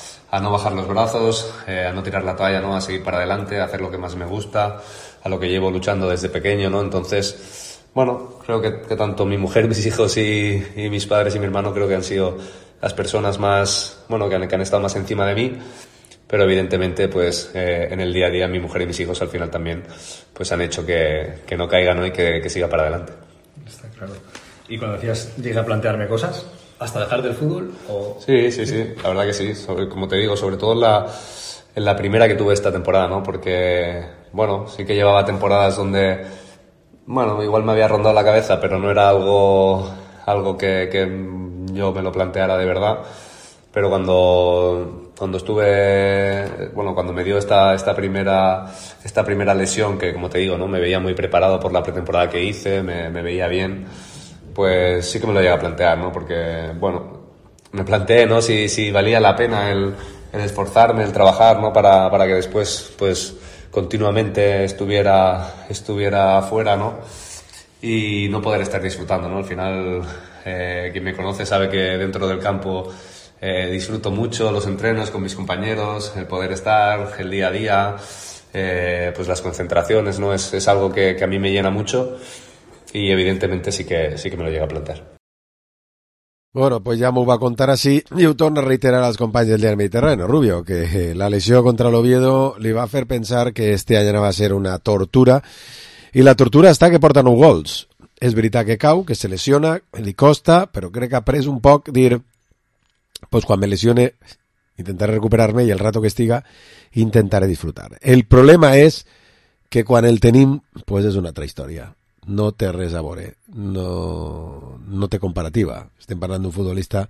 no bajar los brazos, a no tirar la toalla, ¿no? A seguir para adelante, a hacer lo que más me gusta, a lo que llevo luchando desde pequeño, ¿no? Entonces, bueno, creo que tanto mi mujer, mis hijos y mis padres y mi hermano creo que han sido las personas más, bueno, que han estado más encima de mí, pero evidentemente pues en el día a día mi mujer y mis hijos al final también pues han hecho que no caiga, ¿no? Y que siga para adelante. Está claro. Y cuando decías, llegué a plantearme cosas, ¿hasta dejar del fútbol? O... Sí, la verdad que sí, como te digo, sobre todo en la primera que tuve esta temporada, ¿no? Porque, bueno, sí que llevaba temporadas donde, bueno, igual me había rondado la cabeza, pero no era algo que yo me lo planteara de verdad, pero cuando estuve, bueno, cuando me dio esta primera lesión, que como te digo, ¿no? Me veía muy preparado por la pretemporada que hice, me veía bien, pues sí que me lo llegué a plantear, ¿no? Porque, bueno, me planteé, ¿no? Si valía la pena el esforzarme, el trabajar, ¿no? Para que después, pues, continuamente estuviera fuera, ¿no? Y no poder estar disfrutando, ¿no? Al final, quien me conoce sabe que dentro del campo disfruto mucho los entrenos con mis compañeros, el poder estar, el día a día, pues las concentraciones, ¿no? Es algo que a mí me llena mucho y evidentemente sí que me lo llega a plantear. Bueno, pues ja m'ho va contar així i ho torna a reiterar als companys del diari Mediterráneo, Rubio, que la lesió contra l'Oviedo li va fer pensar que este any va ser una tortura i la tortura està que porta 9 gols. És veritat que cau, que se lesiona, li costa, però crec que ha pres un poc dir, pues quan me lesione intentaré recuperar-me i el rato que estiga intentaré disfrutar. El problema és que quan el tenim, pues és una altra història. No té res a veure, no té comparativa. Estem parlant d'un futbolista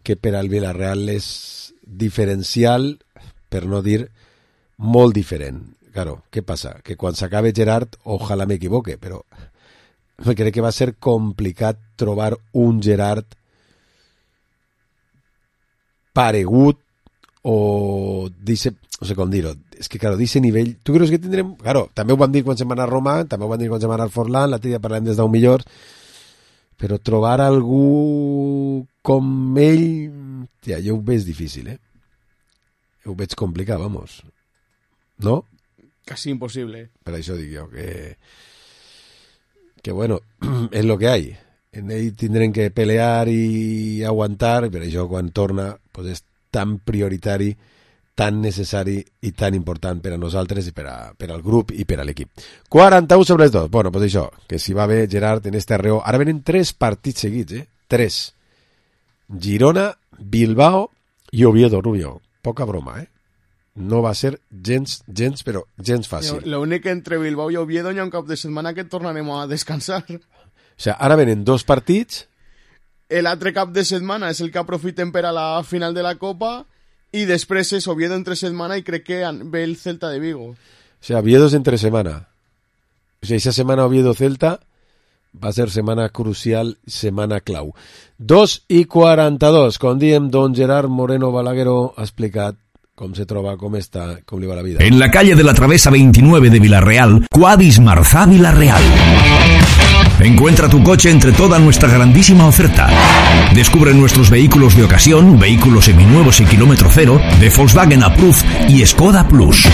que per al Villarreal és diferencial, per no dir molt diferent. Claro, què passa? Que quan s'acabe Gerard, ojalà m'equivoque, però crec que va ser complicat trobar un Gerard paregut o no sé com dir-ho, és que claro, d'aquest nivell, tu creus que tindrem, claro, també ho vam dir quan se'n va anar a Roma, també ho vam dir quan se'n va anar al Forlán, l'altre dia parlem des d'un millor, però trobar algú com ell, ja, jo ho veig difícil, ho veig complicat, vamos, no? Casi imposible. Per això dic jo, que bueno, és lo que hay, en ell tindrem que pelear i aguantar, per això quan torna, pues és tan prioritari, tan necessari i tan important per a nosaltres i per al grup i per a l'equip. 41 sobre les 2. Bueno, pues això, que si va bé Gerard en este arreo. Ara venen 3 partits seguits, 3. Girona, Bilbao i Oviedo, Rubio. Poca broma, No va ser gens, però gens fàcil. L'únic que entre Bilbao i Oviedo hi ha un cap de setmana que tornarem a descansar. O sea, ara venen 2 partits l'altre cap de setmana és el que aprofitem per a la final de la Copa i després és Oviedo entre setmana i crec que ve el Celta de Vigo. O sea, Oviedo es entre semana. O sea, esa semana Oviedo-Celta va a ser setmana crucial, setmana clau. 2:42, com diem, don Gerard Moreno Balagueró ha explicat com se troba, com està, com li va la vida. En la calle de la Travesa 29 de Villarreal, Quadis Marzá Villarreal. Encuentra tu coche entre toda nuestra grandísima oferta. Descubre nuestros vehículos de ocasión, vehículos seminuevos y kilómetro cero, de Volkswagen Approved y Skoda Plus.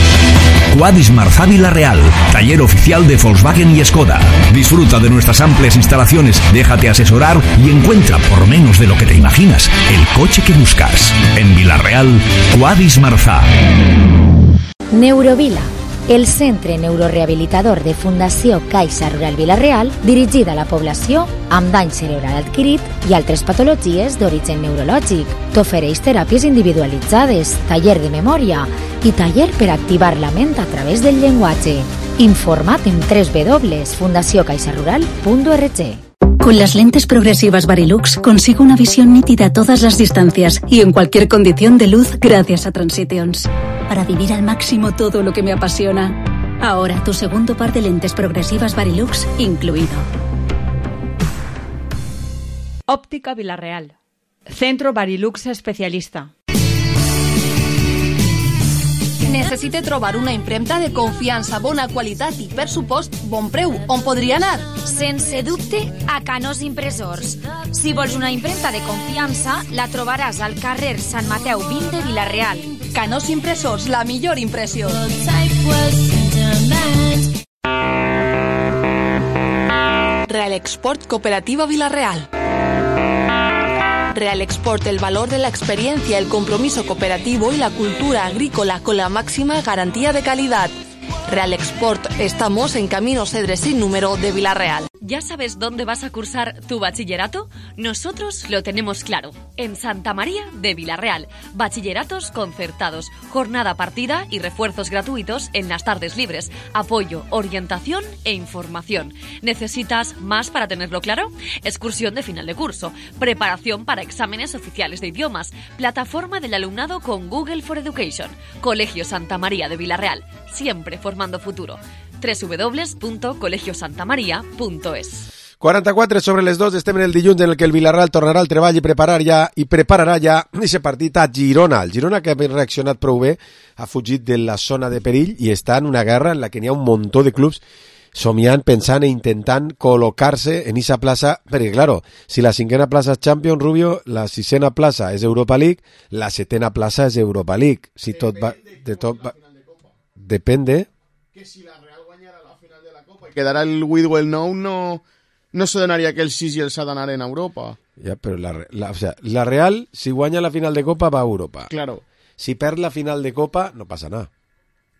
Quadis Marzá Villarreal, taller oficial de Volkswagen y Skoda. Disfruta de nuestras amplias instalaciones, déjate asesorar y encuentra por menos de lo que te imaginas el coche que buscas. En Villarreal, Quadis Marzá. Neurovila, el centre neurorehabilitador de Fundació Caixa Rural Vila-real, dirigida a la població amb dany cerebral adquirit i altres patologies d'origen neurològic. T'ofereix teràpies individualitzades, taller de memòria i taller per activar la ment a través del llenguatge. Informa't en www.fundaciocaixarural.org. Con las lentes progresivas Varilux consigo una visión nítida a todas las distancias y en cualquier condición de luz gracias a Transitions. Para vivir al máximo todo lo que me apasiona. Ahora tu segundo par de lentes progresivas Varilux incluido. Óptica Villarreal. Centro Varilux especialista. Necessite trobar una impremta de confiança, bona qualitat i, per supost, bon preu. On podria anar? Sense dubte, a Canós Impressors. Si vols una impremta de confiança, la trobaràs al carrer Sant Mateu 20 de Vila-real. Canós Impressors, la millor impressió. Real Export Cooperativa Vila-real. Real Export, el valor de la experiencia, el compromiso cooperativo y la cultura agrícola con la máxima garantía de calidad. Real Export, estamos en Camino Cedre sin número de Vila-real. ¿Ya sabes dónde vas a cursar tu bachillerato? Nosotros lo tenemos claro. En Santa María de Vila-real. Bachilleratos concertados, jornada partida y refuerzos gratuitos en las tardes libres. Apoyo, orientación e información. ¿Necesitas más para tenerlo claro? Excursión de final de curso. Preparación para exámenes oficiales de idiomas. Plataforma del alumnado con Google for Education. Colegio Santa María de Vila-real. Siempre formando futuro. www.colegiosantamaria.es. 44 sobre les 2, estem en el dilluns en el que el Villarreal tornarà al treball i prepararà ja aquest partit a Girona. El Girona, que ha reaccionat prou bé, ha fugit de la zona de perill i està en una guerra en la que n'hi ha un muntó de clubs somiant, pensant e intentant col·locar-se en aquesta plaça, perquè, claro, si la cinquena plaça és Champions, Rubio, la sisena plaça és Europa League, la setena plaça és Europa League. Si tot va... Depende... Que si la Real guanyara la final de la Copa i quedara el Whitwell Nou, no se donaria que el 6 i el 7 anaren a Europa. Ja, però o sea, la Real, si guanya la final de Copa, va a Europa. Claro. Si perd la final de Copa, no passa nada.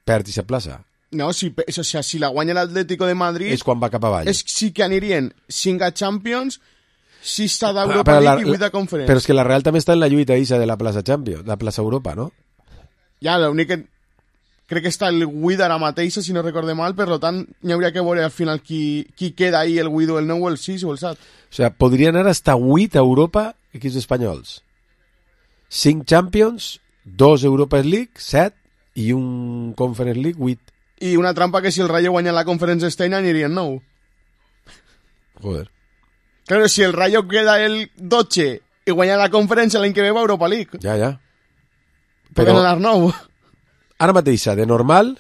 Perd i se plaça. No, si la guanya l'Atlético de Madrid... És quan va cap avall. Sí que anirien 5 a Champions, 6 a d'Europa League i 8 a Conference. Però és que la Real també està en la lluita de la plaça Champions, de la plaça Europa, no? Ja, l'únic que... Crec que està el Guida ara mateixa, si no recorde mal, per tant, n'hi hauria que veure al final qui queda ahí, el Guido, el 9, el 6 o el 7. O sea, podria anar hasta 8 a Europa equips espanyols. 5 Champions, 2 Europa League, 7 i un Conference League, 8. I una trampa que si el Rayo guanya la Conference este any anirien 9. Joder. Claro, si el Rayo queda el 12 i guanya la Conference l'any que ve va a Europa League. Ja. Però anar 9. Ara mateixa, de normal,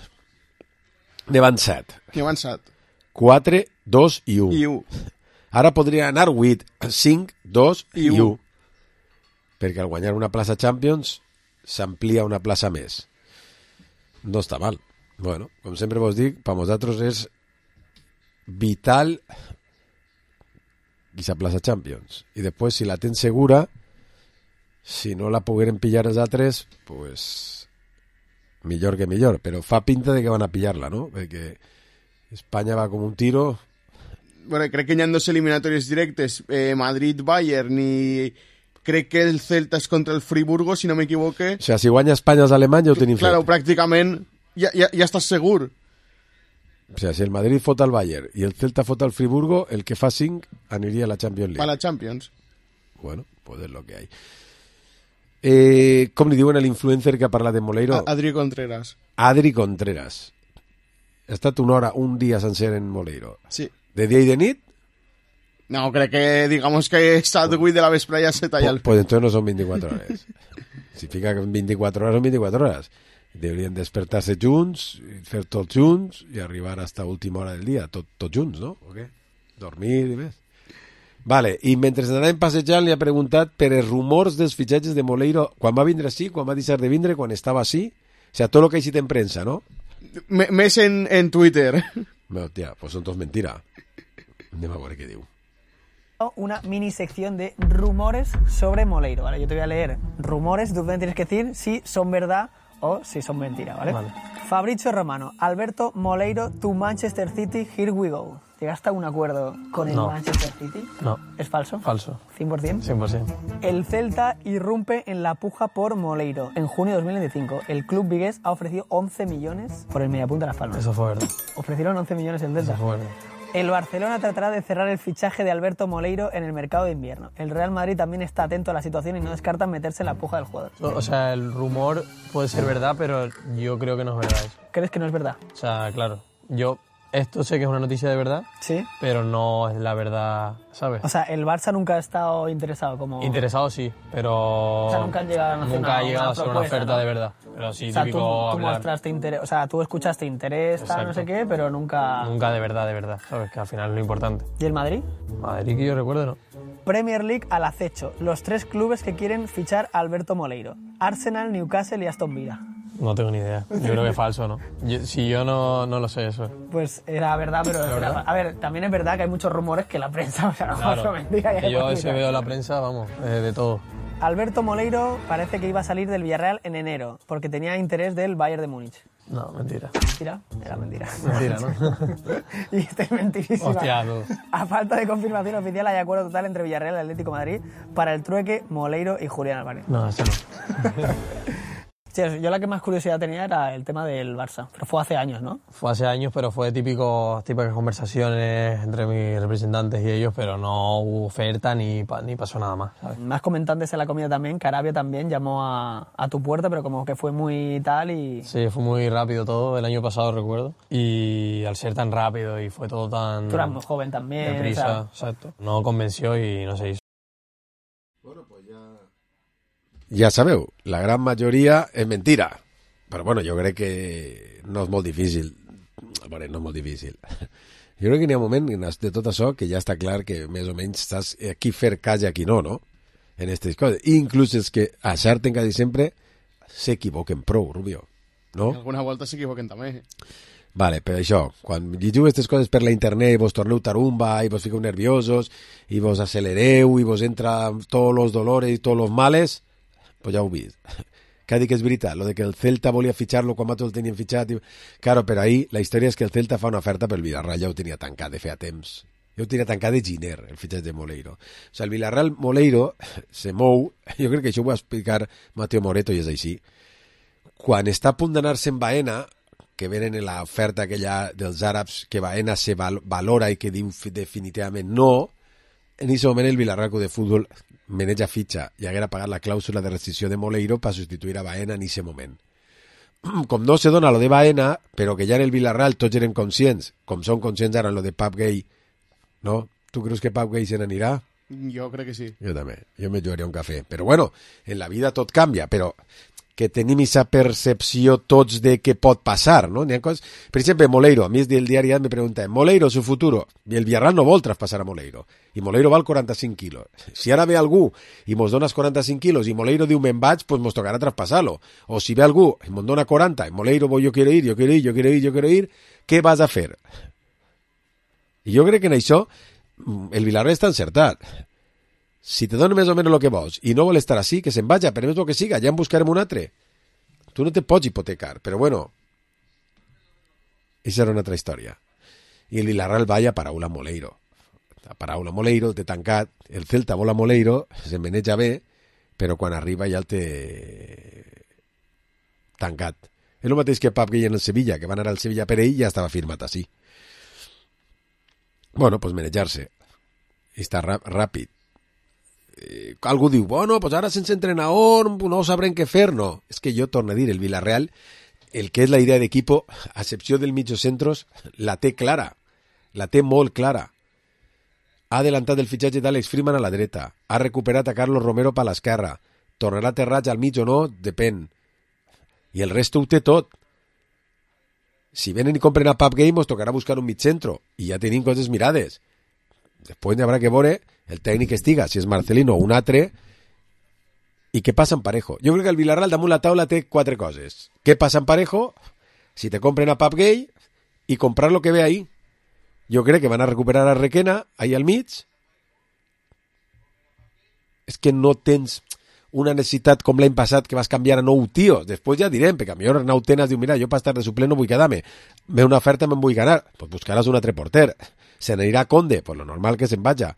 ne van 7. Ne van 7. 4, 2 i 1. I 1. Ara podria anar 8, 5, 2 i 1. Perquè al guanyar una plaça Champions s'amplia una plaça més. No està mal. Bueno, com sempre vos dic, per nosaltres és vital aquesta plaça Champions. I després, si la tens segura, si no la pogueren pillar els altres, pues... millor que millor, però fa pinta de que van a pillar-la, ¿no? Perquè Espanya va com un tiro. Bueno, crec que hi ha 2 eliminatòries directes, Madrid-Bayern, i crec que el Celta és contra el Friburgo, si no m'equivoque. O sea, si guanya Espanya els alemanys ja ho tenim fet. Claro, pràcticament ja estàs segur. O sea, si el Madrid fot al Bayern i el Celta fot al Friburgo, el que fa 5 aniria a la Champions League. A la Champions. Bueno, pues és lo que hay. Com li diuen a l'influencer que ha parlat de Moleiro? Adri Contreras. Adri Contreras. Ha estat un dia sencer en Moleiro. Sí. De dia i de nit? No, crec que digamos que he estat 8 de la vesprada ja se talla el... Pues entonces no son 24 hores. Si fica que 24 hores son 24 hores. Deurien despertar-se junts, fer tots junts i arribar hasta última hora del dia, tots junts, no? O què? Dormir i més. Vale, i mentre anàvem passejant li ha preguntat per els rumors dels fitxatges de Moleiro, quan va vindre així, quan va deixar de vindre, quan estava així, o sea, tot el que ha eixit en premsa, no? Més en Twitter. No, tia, pues son tots mentira. Anem a veure què diu. Una mini sección de rumores sobre Moleiro, ¿vale? Yo te voy a leer rumores, tú me tienes que decir si son verdad o si son mentira, ¿vale? Fabrizio Romano, Alberto Moleiro to Manchester City, here we go. ¿Llegaste a un acuerdo con el Manchester City? No. ¿Es falso? Falso. ¿100%? 100%. El Celta irrumpe en la puja por Moleiro. En junio de 2025, el club vigués ha ofrecido 11 millones por el mediapunta de Las Palmas. Eso fue verdad. Ofrecieron 11 millones el Celta. Eso fue verdad. El Barcelona tratará de cerrar el fichaje de Alberto Moleiro en el mercado de invierno. El Real Madrid también está atento a la situación y no descarta meterse en la puja del jugador. O sea, el rumor puede ser verdad, pero yo creo que no es verdad eso. ¿Crees que no es verdad? O sea, claro, esto sé que es una noticia de verdad, sí, pero no es la verdad, ¿sabes? O sea, el Barça nunca ha estado interesado como... Interesado sí, pero... O sea, nunca han llegado a hacer nunca ha llegado a ser una oferta, ¿no? De verdad. Pero sí, o sea, típico tú mostraste interés, o sea, tú escuchaste interés, tal, no sé qué, pero nunca... Nunca de verdad, ¿sabes? Que al final es lo importante. ¿Y el Madrid? Madrid que yo recuerdo, ¿no? Premier League al acecho. Los 3 clubes que quieren fichar a Alberto Moleiro. Arsenal, Newcastle y Aston Villa. No tengo ni idea. Yo creo que es falso, ¿no? Yo no lo sé eso. Pues era verdad, pero... ¿verdad? A ver, también es verdad que hay muchos rumores que la prensa, o sea, no mentira. Que yo a veces veo la prensa, vamos, de todo. Alberto Moleiro parece que iba a salir del Villarreal en enero, porque tenía interés del Bayern de Múnich. No, mentira. ¿Mentira? Era mentira. Mentira, ¿no? Y este es mentirísima. Hostia, tú. A falta de confirmación oficial hay acuerdo total entre Villarreal y Atlético de Madrid para el trueque Moleiro y Julián Álvarez. No, eso no. Sí, yo la que más curiosidad tenía era el tema del Barça, pero fue hace años, ¿no? Fue hace años, pero fue típicas conversaciones entre mis representantes y ellos, pero no hubo oferta ni pasó nada más, ¿sabes? Más comentantes en la comida también, que Arabia también llamó a tu puerta, pero como que fue muy tal y... Sí, fue muy rápido todo, el año pasado recuerdo, y al ser tan rápido y fue todo tan... Tú eras muy joven también, deprisa, o sea... exacto. No convenció y no se hizo. Bueno, pues ja sabeu, la gran majoria és mentira. Però bueno, jo crec que no és molt difícil. Bueno, no és molt difícil. Jo crec que n'hi ha un moment de tot això que ja està clar que més o menys estàs aquí fer cas i aquí no, no? En aquestes coses. Inclús els que acerten quasi sempre s'equivoquen prou, Rubio. No? Alguna volta s'equivoquen també. Vale, però això, quan llegiu aquestes coses per la internet i vos torneu tarumba i vos fiqueu nerviosos i vos acelereu i vos entra tots els dolores i tots els males, pues ja ho vist. Que ha dit que és veritat, lo de que el Celta volia fitxar-lo quan tots el tenien fitxat. Claro, però ahí la història és que el Celta fa una oferta pel Villarreal, ja ho tenia tancat de feia temps. Ja ho tenia tancat de giner, el fitxatge de Moleiro. O sigui, el Villarreal Moleiro se mou, jo crec que això ho va explicar Mateo Moreto i és així. Quan està a punt d'anar-se en Baena, que venen en l'oferta aquella dels àrabs, que Baena se valora i que diu definitivament no, en aquest moment el Villarreal de Futbol maneja fitxa i haguera pagat la clàusula de rescissió de Moleiro per substituir a Baena en aquest moment. Com no se dona lo de Baena, però que ja en el Villarreal tots eren conscients, com són conscients ara en lo de Pap Gay, no? Tu creus que Pap Gay se n'anirà? Jo crec que sí. Jo també, jo me jugaria un cafè. Però bueno, en la vida tot canvia, però que tenim aquesta percepció tots de què pot passar, no? Coses... Per exemple, Moleiro, a mi del diari me pregunta, Moleiro, su futuro, i el Villarreal no vol traspassar a Moleiro, i Moleiro val 45 quilos. Si ara ve algú i mos dones 45 quilos i Moleiro diu me'n vaig, pues mos tocarà traspasar-lo. O si ve algú i mos dona 40 i Moleiro yo quiero ir, què vas a fer? I jo crec que en això el Villarreal està encertat. Si te donen més o menys el que vols i no vol estar així, que se'n vaja, per més el que siga, ja en buscarem un altre. Tu no te pots hipotecar, però bueno, això era una altra història. I el Villarreal va a paraula Moleiro. A paraula Moleiro, el té tancat, el Celta vol a Moleiro, se maneja bé, però quan arriba ja el té tancat. És el mateix que Pap Gay en el Sevilla, que van anar al Sevilla per ell i ja estava firmat així. Bueno, pues manejar-se. I està ràpid. algú diu, bueno, pues ara sense entrenador no sabrem què fer. No, és que jo torno a dir, el Villarreal, el que és la idea d'equipo, a excepció del mitjocentros, la té clara, la té molt clara. Ha adelantat el fitxatge d'Àlex Freeman a la dreta, ha recuperat a Carlos Romero per l'esquerra, tornarà Terrats al mig o no, depèn. I el resto ho té tot. Si venen i compren a Pub Game, us tocarà buscar un mig centro, i ja tenim coses mirades. Després n'hi haurà que veure el tècnic estiga, si és Marcelino o un altre, i què passa en Parejo. Jo crec que el Villarreal damunt la taula té 4 coses. Què passa en Parejo? Si te compren a Pub Gay i comprar lo que ve ahí. Jo crec que van a recuperar a Requena ahí al mig. És que no tens una necessitat com l'any passat que vas canviar a 9 tios. Després ja direm, perquè a millor Arnau Tenas diu, mira, jo per estar de suplent no vull quedar-me. Ve una oferta, me'n vull ganar. Pues buscaràs un altre porter. Se n'anirà Conde, pues lo normal que se'n vaja.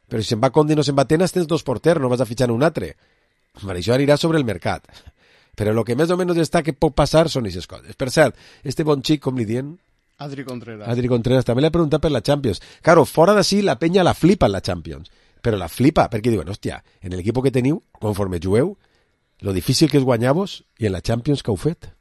Però si se'n va Conde i no se'n va Tenas, tens 2 porters, no vas a fitxar un altre. Per això anirà sobre el mercat. Però el que més o menys està que pot passar són aquestes coses. Per cert, este bon xic, com li dient? Adri Contreras. Adri Contreras, també l'he preguntat per la Champions. Claro, fora d'ací la penya la flipa en la Champions. Però la flipa perquè diuen, hòstia, en l'equip que teniu, conforme jugueu, lo difícil que és guanyar-vos i en la Champions que heu fet.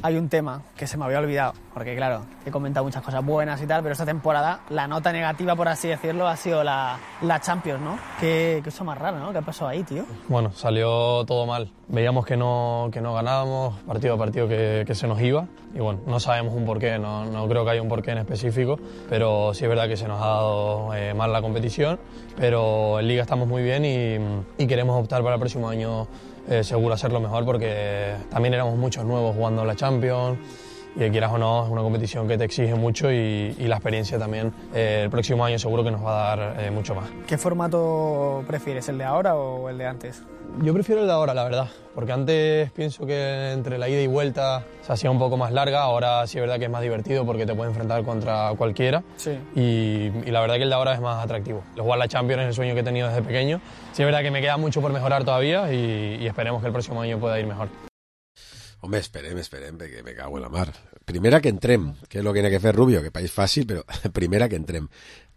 Hay un tema que se me había olvidado, porque claro, he comentado muchas cosas buenas y tal, pero esta temporada la nota negativa, por así decirlo, ha sido la Champions, ¿no? Qué cosa más rara, ¿no? ¿Qué ha pasado ahí, tío? Bueno, salió todo mal. Veíamos que no ganábamos partido a partido que se nos iba y bueno, no sabemos un porqué, no creo que haya un porqué en específico, pero sí es verdad que se nos ha dado mal la competición, pero en Liga estamos muy bien y queremos optar para el próximo año seguro hacerlo mejor porque también éramos muchos nuevos jugando en la Champions y quieras o no es una competición que te exige mucho y la experiencia también el próximo año seguro que nos va a dar mucho más. ¿Qué formato prefieres, el de ahora o el de antes? Yo prefiero el de ahora, la verdad, porque antes pienso que entre la ida y vuelta se hacía un poco más larga, ahora sí es verdad que es más divertido porque te puedes enfrentar contra cualquiera y la verdad que el de ahora es más atractivo. El jugar la Champions es el sueño que he tenido desde pequeño, sí es verdad que me queda mucho por mejorar todavía y esperemos que el próximo año pueda ir mejor. Home, esperem, perquè me cago en la mar. Primera que entrem, que és el que n'ha que fer Rubio, que país fàcil, però primera que entrem.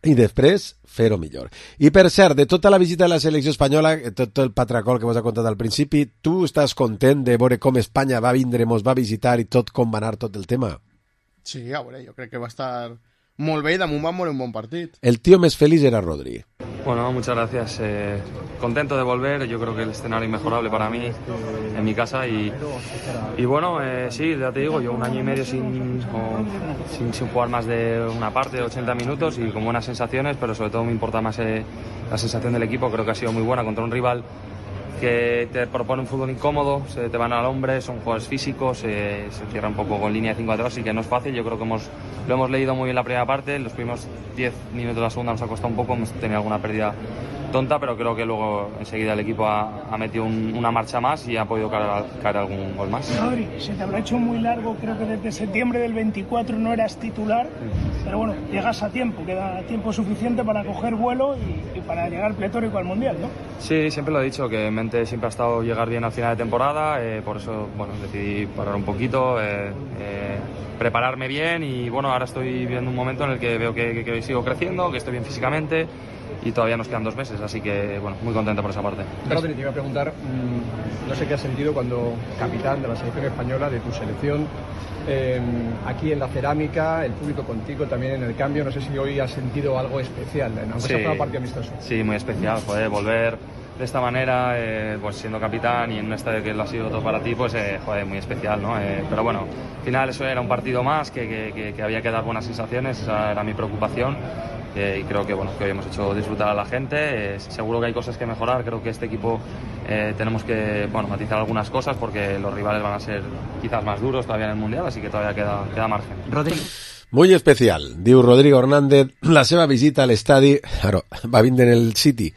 I després, fer-ho millor. I per cert, de tota la visita de la selecció espanyola, tot el patracol que vos ha contat al principi, tu estàs content de veure com Espanya va vindre, mos va visitar i tot com va anar tot el tema? Sí, a veure, jo crec que va estar molt bé i damunt va moure un bon partit. El tío més feliç era Rodri. Bueno, muchas gracias. Contento de volver. Yo creo que el escenario inmejorable para mí en mi casa y bueno, sí, ya te digo, yo 1 año y medio sin jugar más de una parte de 80 minutos y con buenas sensaciones, pero sobre todo me importa más la sensación del equipo. Creo que ha sido muy buena contra un rival que te propone un fútbol incómodo, se te van al hombre, son jugadores físicos, se cierra un poco con línea de 5 atrás, así que no es fácil. Yo creo que lo hemos leído muy bien la primera parte, los primeros 10 minutos de la segunda nos ha costado un poco, hemos tenido alguna pérdida tonta, pero creo que luego enseguida el equipo ha metido una marcha más y ha podido caer algún gol más. Rodri, se te habrá hecho muy largo, creo que desde septiembre del 24 no eras titular, pero bueno, llegas a tiempo, queda tiempo suficiente para coger vuelo y para llegar pletórico al Mundial, ¿no? Sí, siempre lo he dicho, que en mente siempre ha estado llegar bien al final de temporada, por eso bueno, decidí parar un poquito, prepararme bien y bueno, ahora estoy viviendo un momento en el que veo que sigo creciendo, que estoy bien físicamente y todavía nos quedan 2 meses, así que bueno, muy contento por esa parte. Rodri, te iba a preguntar, no sé qué has sentido cuando capitán de la selección española, de tu selección, aquí en la cerámica, el público contigo también en el cambio, no sé si hoy has sentido algo especial, aunque sea para un partido amistoso. Sí, muy especial, joder, volver de esta manera, pues siendo capitán y en un estadio que lo ha sido todo para ti, pues joder, muy especial, ¿no? Pero bueno, al final eso era un partido más, que había que dar buenas sensaciones, esa era mi preocupación. Y creo que bueno, que hoy hemos hecho disfrutar a la gente, seguro que hay cosas que mejorar, creo que este equipo tenemos que matizar algunas cosas porque los rivales van a ser quizás más duros todavía en el Mundial, así que todavía queda margen. Rodrigo. Muy especial, diu Rodrigo Hernández, la seva visita a l'estadi, claro, va vindre en el City,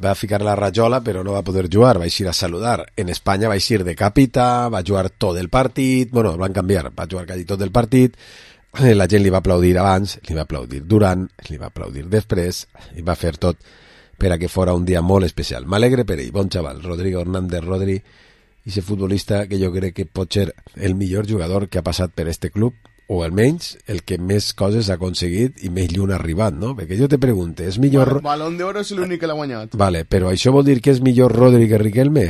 va ficar la rajola però no va poder jugar, va eixir a saludar. En Espanya va eixir de capità, va jugar tot el partit, bueno, el van canviar, va jugar quasi tot el partit, la gent li va aplaudir abans, li va aplaudir durant, li va aplaudir després, i va fer tot per a que fora un dia molt especial. M'alegre per ell, bon xaval, Rodrigo Hernández Rodri, i ese futbolista que jo crec que pot ser el millor jugador que ha passat per este club o almenys el que més coses ha aconseguit i més lluny ha arribat, no? Perquè jo te pregunto, és millor... Balón d'Oro és l'únic que l'ha guanyat. Vale, però això vol dir que és millor Rodri que Riquelme?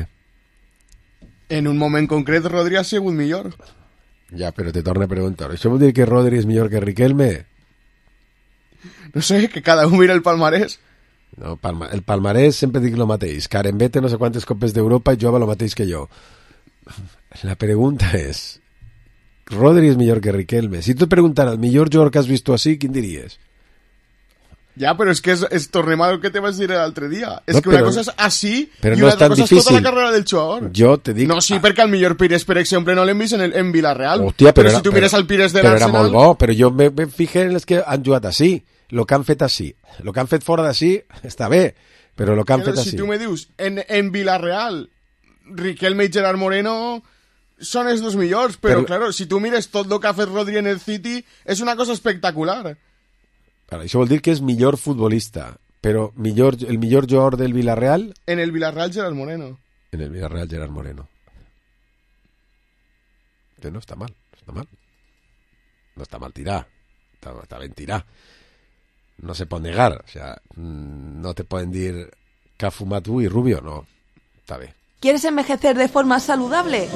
En un moment concret Rodri ha sigut millor. Ja, però te torno a preguntar, això vol dir que Rodri és millor que Riquelme? No sé, que cada un mira el palmarès. No, el palmarès sempre dic el mateix. Karen té no sé quantes copes d'Europa i jova el mateix que jo. La pregunta és... Rodri és millor que Riquelme. Si tu et preguntara el millor jugador que has vist així, quin diries? Ja, però és que tornem al que te vas dir l'altre dia. És No, que una però- cosa és així però i no una és tan altra cosa és tota difícil. la carrera del jugador. Jo te dic... No, sí, perquè el millor Pires, per exemple, no l'hem vist en Villarreal. Hòstia, però si tu mires el Pires de però era molt l'Arsenal... bo, però jo me fijé en els que han jugat així. El que han fet així. El que han fet fora d'ací està bé, però el que han fet Si així. tu me dius, en Villarreal, Riquelme i Gerard Moreno són els dos millors, però claro, si tu mires tot el que ha fet Rodri en el City, és una cosa espectacular. Ara, això vol dir que és millor futbolista, però el millor jugador del Villarreal... En el Villarreal, Gerard Moreno. En el Villarreal, Gerard Moreno. Que no està mal, no està mal. No está mal tirar, está bien tirar. No se puede negar, o sea, no te pueden decir que ha fumado tú y Rubio, no, está bien. ¿Quieres envejecer de forma saludable?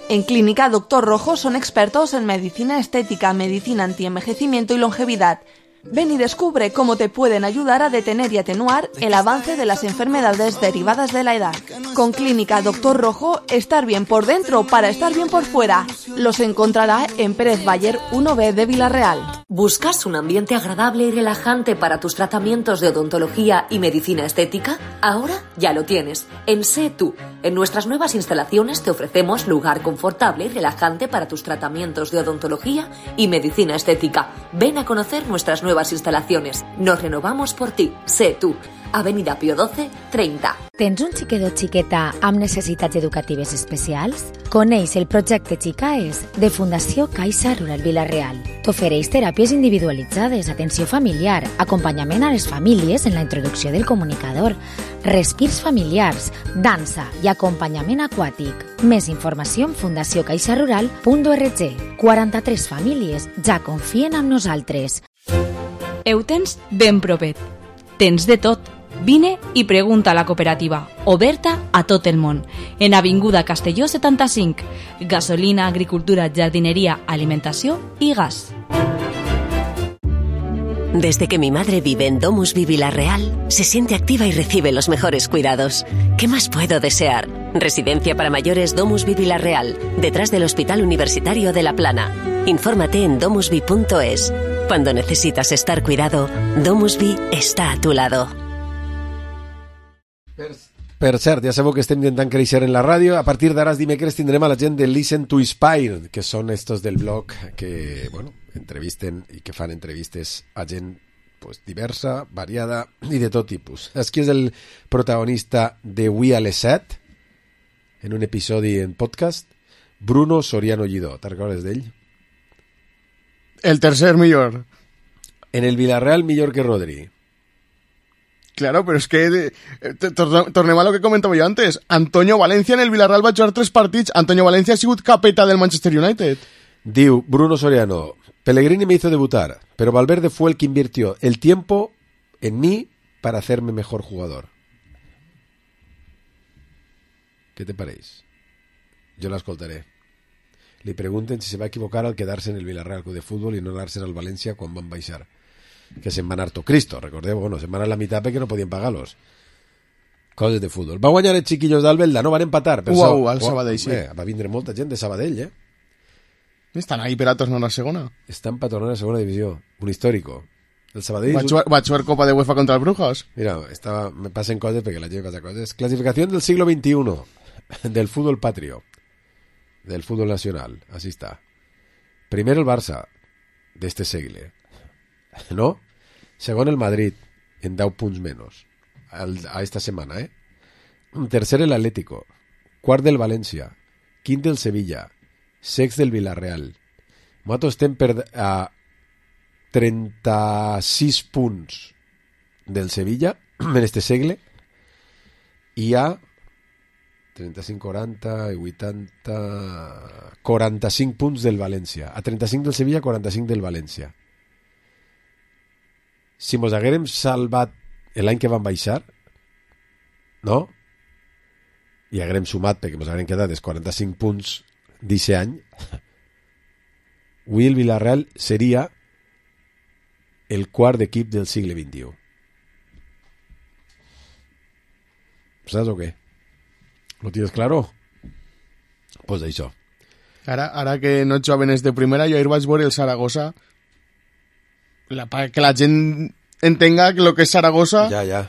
En Clínica Doctor Rojo son expertos en medicina estética, medicina antienvejecimiento y longevidad. Ven y descubre cómo te pueden ayudar a detener y atenuar el avance de las enfermedades derivadas de la edad. Con Clínica Doctor Rojo, estar bien por dentro para estar bien por fuera. Los encontrará en Pérez Bayer 1B de Villarreal. ¿Buscas un ambiente agradable y relajante para tus tratamientos de odontología y medicina estética? Ahora ya lo tienes. En Sé Tú. En nuestras nuevas instalaciones te ofrecemos lugar confortable y relajante para tus tratamientos de odontología y medicina estética. Ven a conocer nuestras nuevas instalaciones. Nos renovamos por ti. Sé Tú. Avenida Pío 12, 30. Tens un xiquet o xiqueta amb necessitats educatives especials? Coneix el projecte Xicaes de Fundació Caixa Rural Vila-real. T'ofereix teràpies individualitzades, atenció familiar, acompanyament a les famílies en la introducció del comunicador, respirs familiars, dansa i acompanyament aquàtic. Més informació en fundaciocaixarural.org. 43 famílies ja confien en nosaltres. Ho tens ben propet. Tens de tot. Vine i pregunta a la cooperativa, oberta a tot el món. En Avinguda Castelló 75. Gasolina, agricultura, jardinería, alimentació i gas. Desde que mi madre vive en Domusvi Villarreal, se siente activa y recibe los mejores cuidados. ¿Qué más puedo desear? Residencia para mayores Domusvi Villarreal, detrás del Hospital Universitario de La Plana. Infórmate en domusvi.es. Cuando necesitas estar cuidado, Domusvi está a tu lado. Per cert, ja sabeu que estem intentant créixer en la ràdio. A partir d'ara, els dimecres, tindrem a la gent de Listen to Inspire, que són estos del blog que, bueno, entrevisten i que fan entrevistes a gent pues, diversa, variada i de tot tipus. Aquí és el protagonista de Avui a les 7, en un episodi en podcast, Bruno Soriano Lledó. Te'n recordes d'ell? El tercer millor. En el Villarreal, millor que Rodri. Claro, pero es que tornem a lo que comentaba yo antes. Antonio Valencia en el Villarreal va a jugar 3 partits. Antonio Valencia ha sigut capeta del Manchester United. Diu Bruno Soriano, Pellegrini me hizo debutar, pero Valverde fue el que invirtió el tiempo en mí para hacerme mejor jugador. ¿Qué te parece? Yo la escoltaré. Le pregunten si se va a equivocar al quedarse en el Villarreal Club de Fútbol y no darse al Valencia quan van baixar. Que se'n van harto Cristo, recordeu, bueno, se'n van a la mitad perquè no podien pagar-los. Coses de futbol. Va guanyar els xiquillos d'Albelda, no van empatar. Al Sabadell, sí. Va vindre molta gent de Sabadell, Estan ahí per a tornar a segona. Estan per tornar a segona divisió. Un històrico. El Sabadell... Va jugar Copa de UEFA contra el Brujas. Mira, me passen coses perquè la gent passa coses. Clasificación del siglo XXI del fútbol patrio, del fútbol nacional. Así está. Primero el Barça de este segle, ¿no? Segon el Madrid, en 10 punts menos a esta semana, Tercer el Atlético, quart del València, quint del Sevilla, sext del Villarreal. Nosaltres estem a 36 punts del Sevilla en este segle i a 35-40 i 80... 45 punts del València. A 35 del Sevilla, 45 del València. Si mos haguérem salvat l'any que van baixar, no? I haguérem sumat, perquè mos haguérem quedat els 45 punts d'aquest any, avui el Villarreal seria el quart equip del segle XXI. ¿Sabes o qué? ¿Lo tienes claro? Pues això. Ara que no jugaven de primera, jo ahir vaig veure el Saragossa, que la gent entenga lo que és Saragossa,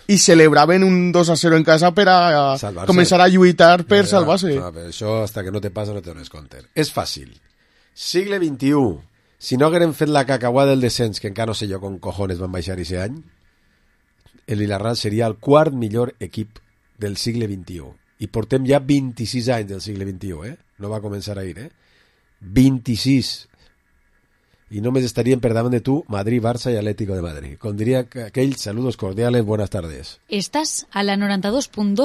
i celebraven un 2-0 en casa per a començar a lluitar per salvar-se. Això, hasta que no te passa, no te dones compte. És fàcil. Segle XXI. Si no haguérem fet la cacauà del descens, que encara no sé jo com cojones van baixar aquest any, el Villarreal seria el quart millor equip del segle XXI. I portem ja 26 anys del segle XXI, No va començar ahir, 26. Y només estarían per davant de tu Madrid, Barça y Atlético de Madrid. Com diria aquell, saludos cordiales, buenas tardes. Estás a la 92.2